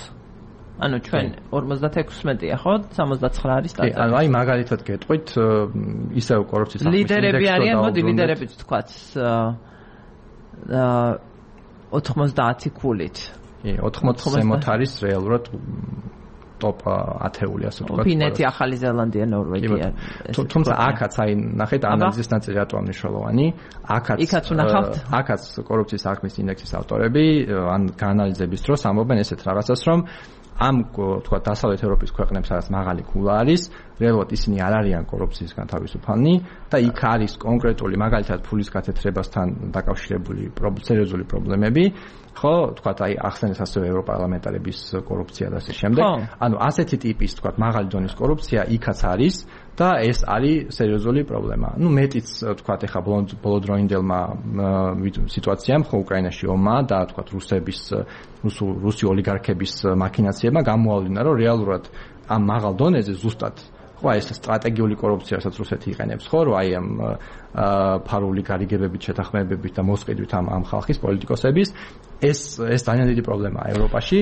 ანუ ჩვენ ორმოცდათექვსმეტია, ხო? სამოცდაცხრა არის სტატია. კი, ანუ აი მაგალითად გეტყვით, ისევ კორუფციის აღქმის ინდექსი ლიდერები არიან, მოდი ლიდერებიც ვთქვათ. ოთხმოცდაათი ქულით. კი, ოთხმოცდაათი ზემოთ არის რეალურად ტოპ ათეული, ასე ვთქვათ. ფინეთი, ახალი ზელანდია, ნორვეგია. თუმცა აქაც აი ნახეთ ანალიზის ნაწილი რატომ მნიშვნელოვანი. აქაც იქაც ვნახავთ. აქაც კორუფციის აღქმის ინდექსის ავტორები ან გაანალიზების დროს ამბობენ ესეთ რაღაცას, რომ ამ თქვა დასავლეთ ევროპის ქვეყნებს სადაც მაღალი ქულა არის, რეალურად ისინი არ არიან კორუფციისგან თავისუფალნი და იქ არის კონკრეტული მაგალითად ფულის გათეთრებასთან დაკავშირებული სერიოზული პრობლემები, ხო, თქვა აი ახსენეს ასევე ევროპარლამენტარების კორუფცია და ასე შემდეგ. ანუ ასეთი ტიპის თქვა მაღალი დონის კორუფცია იქაც არის და ეს არის სერიოზული პრობლემა. ნუ მეტიც თქვა ეხა ბოლოდროინდელმა სიტუაციამ ხო უკრაინაში ომმა და თქვა რუსების რუსულ რუსი ოლიგარქების მაქინაციებმა გამოავლინა, რომ რეალურად ამ მაღალ დონეზე ზუსტად ხო ეს სტრატეგიული კორუფციასაც რუსეთი იყენებს ხო რომ აი ამ ფარული გარიგებებით შეთანხმებებით და მოსყიდვით ამ ამ ხალხის პოლიტიკოსების ეს ეს ძალიან დიდი პრობლემაა ევროპაში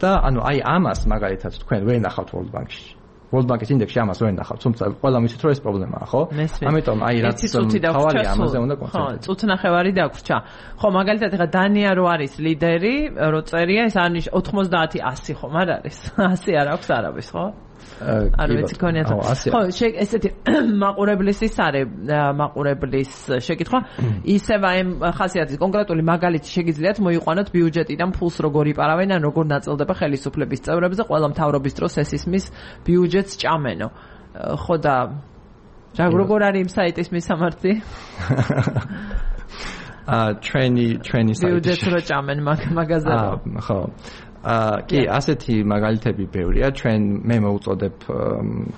და ანუ აი ამას მაგალითად თქვენ ვერ ნახავთ World Bank-ში World Bank-ის ინდექსში ამას ვერ ნახავთ თუმცა ყველა მიცით რომ ეს პრობლემაა ხო ამიტომ აი რაც თავი ამაზე უნდა კონცენტრირდეს ხო წუთნახევარი დაგვრჩა ხო მაგალითად ეხა დანია რო არის ლიდერი რო წერია ეს არის ოთხმოცდაათი ასი ხომ არ არის ასი არ აქვს არავის ხო არ ვიცი კონიათ ხო ესეთი მაყურებლის ის არის მაყურებლის შეკითხვა ისევ აი ხასიათის კონკრეტული მაგალითი შეგიძლიათ მოიყვანოთ ბიუჯეტიდან ფულს როგორ იპარავენ ან როგორ ნაწილდება ხელისუფლების წევრებზე ყველა მთავრობის დროს ეს ისმის ბიუჯეტს ჭამენო ხო და როგორ არის იმ საიტის მისამართი აა ჩვენი ჩვენი საიტი ბიუჯეტს რო ჭამენ მაგაზე ხო აა კი ასეთი მაგალითები ბევრია ჩვენ მე მოვუწოდებ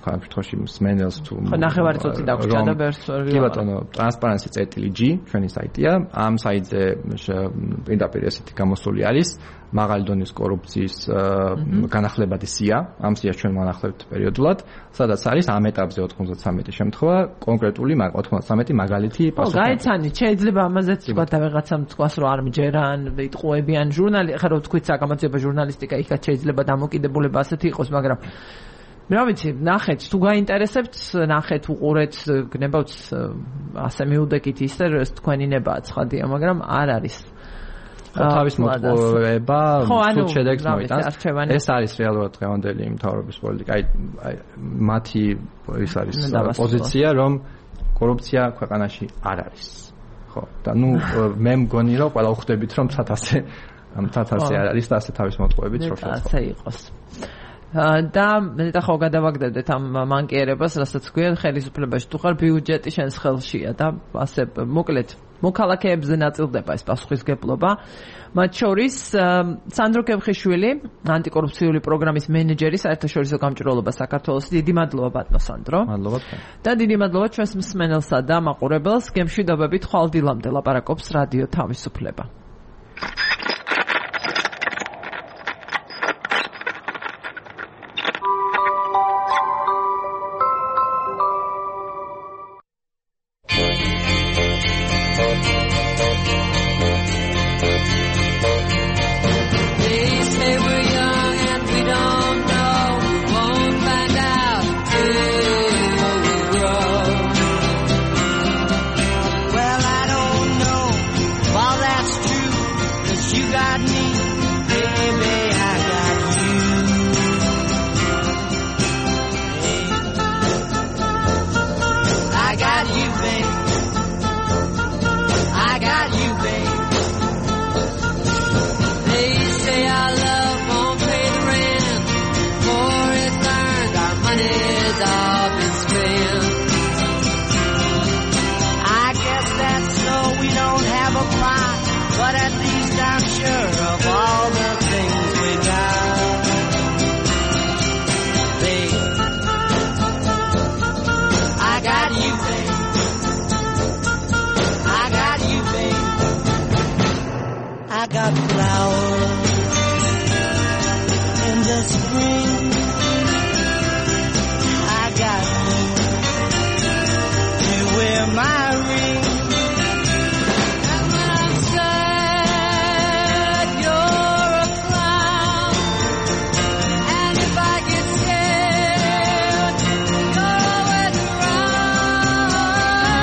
კონკრეტულად მსმენელს თუ ხო ნახევარი წუთი დაგვრჩა და ბერს კი ბატონო ტრანსპარენსი წერტილი ჯი ჩვენი საიტია ამ საიტზე პირდაპირ ესეთი გამოსული არის მაღალი დონის კორუფციის განახლებადი სია ამ სიას ჩვენ ვანახლებთ პერიოდულად სადაც არის ამ ეტაპზე ოთხმოცდათსამეტი შემთხვევა კონკრეტული ოთხმოცდათსამეტი მაგალითი პასუხი. ხო, გაიცანით, შეიძლება ამაზეც თქვა და ვიღაცამ თქვას რომ არ მჯერან, იტყუებიან ჟურნალი, ხა რო თქვით საგამოძიება ჟურნალისტიკა, იქაც შეიძლება დამოკიდებულება ასეთი იყოს, მაგრამ რა ვიცი, ნახეთ, თუ გაინტერესებთ, ნახეთ, უყურეთ, გნებავთ ასე მიუდეკით ისე, რომ თქვენი ნებაა ცხადია, მაგრამ არ არის თავის მოტყუება თუ შედეგს მოიტანს ეს არის რეალურად დღევანდელი მთავრობის პოლიტიკა აი მათი ის არის პოზიცია რომ კორუფცია ქვეყანაში არ არის ხო და ნუ მე მგონი რომ ყველა ვხვდებით რომ ცათასე ცათასე არ არის და ასე თავის მოტყუებით რო შეწყო ასე იყოს და მეტა ხო გადავაგდებდეთ ამ მანკიერებას რასაც გვიან ხელისუფლებაში თუ ხარ ბიუჯეტი შენს ხელშია და ასე მოკლედ მოქალაქეებზე ნაწილდება ეს პასუხისგებლობა მათ შორის სანდრო კებხიშვილი ანტიკორუფციული პროგრამის მენეჯერი საერთაშორისო გამჭვირვალობა საქართველოს დიდი მადლობა ბატონო სანდრო მადლობა და დიდი მადლობა ჩვენს მსმენელსა და მაყურებელს გემშვიდობებით ხვალდილამდე ლაპარაკობს რადიო თავისუფლება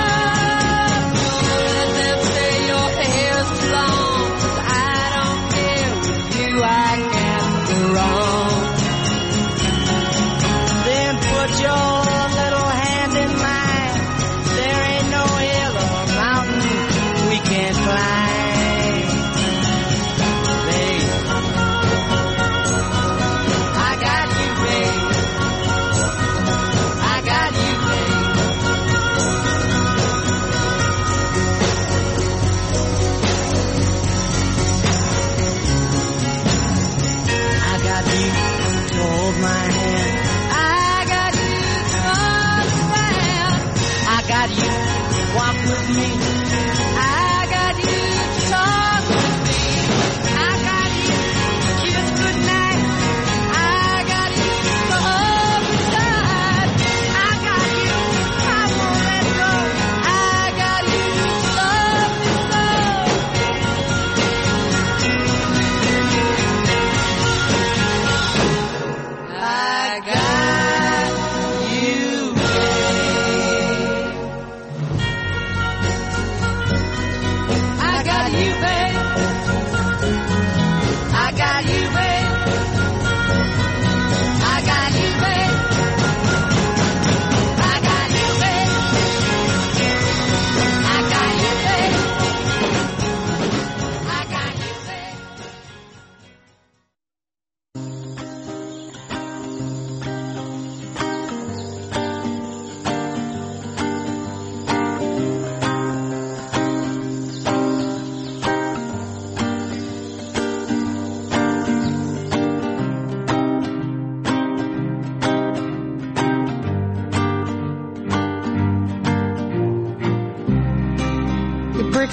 I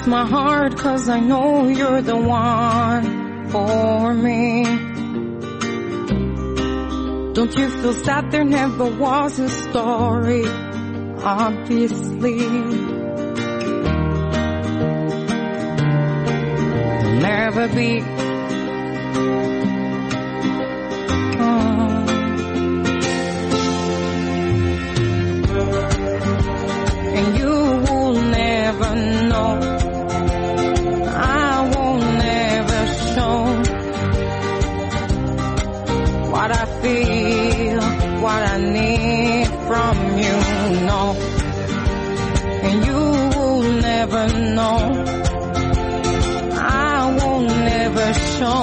breaks my heart, 'cause I know you're the one for me. Don't you feel sad there never was a story? Obviously there'll never be. Oh. And you will never know, I won't never show what I feel, what I need from you, no. And you will never know, I won't never show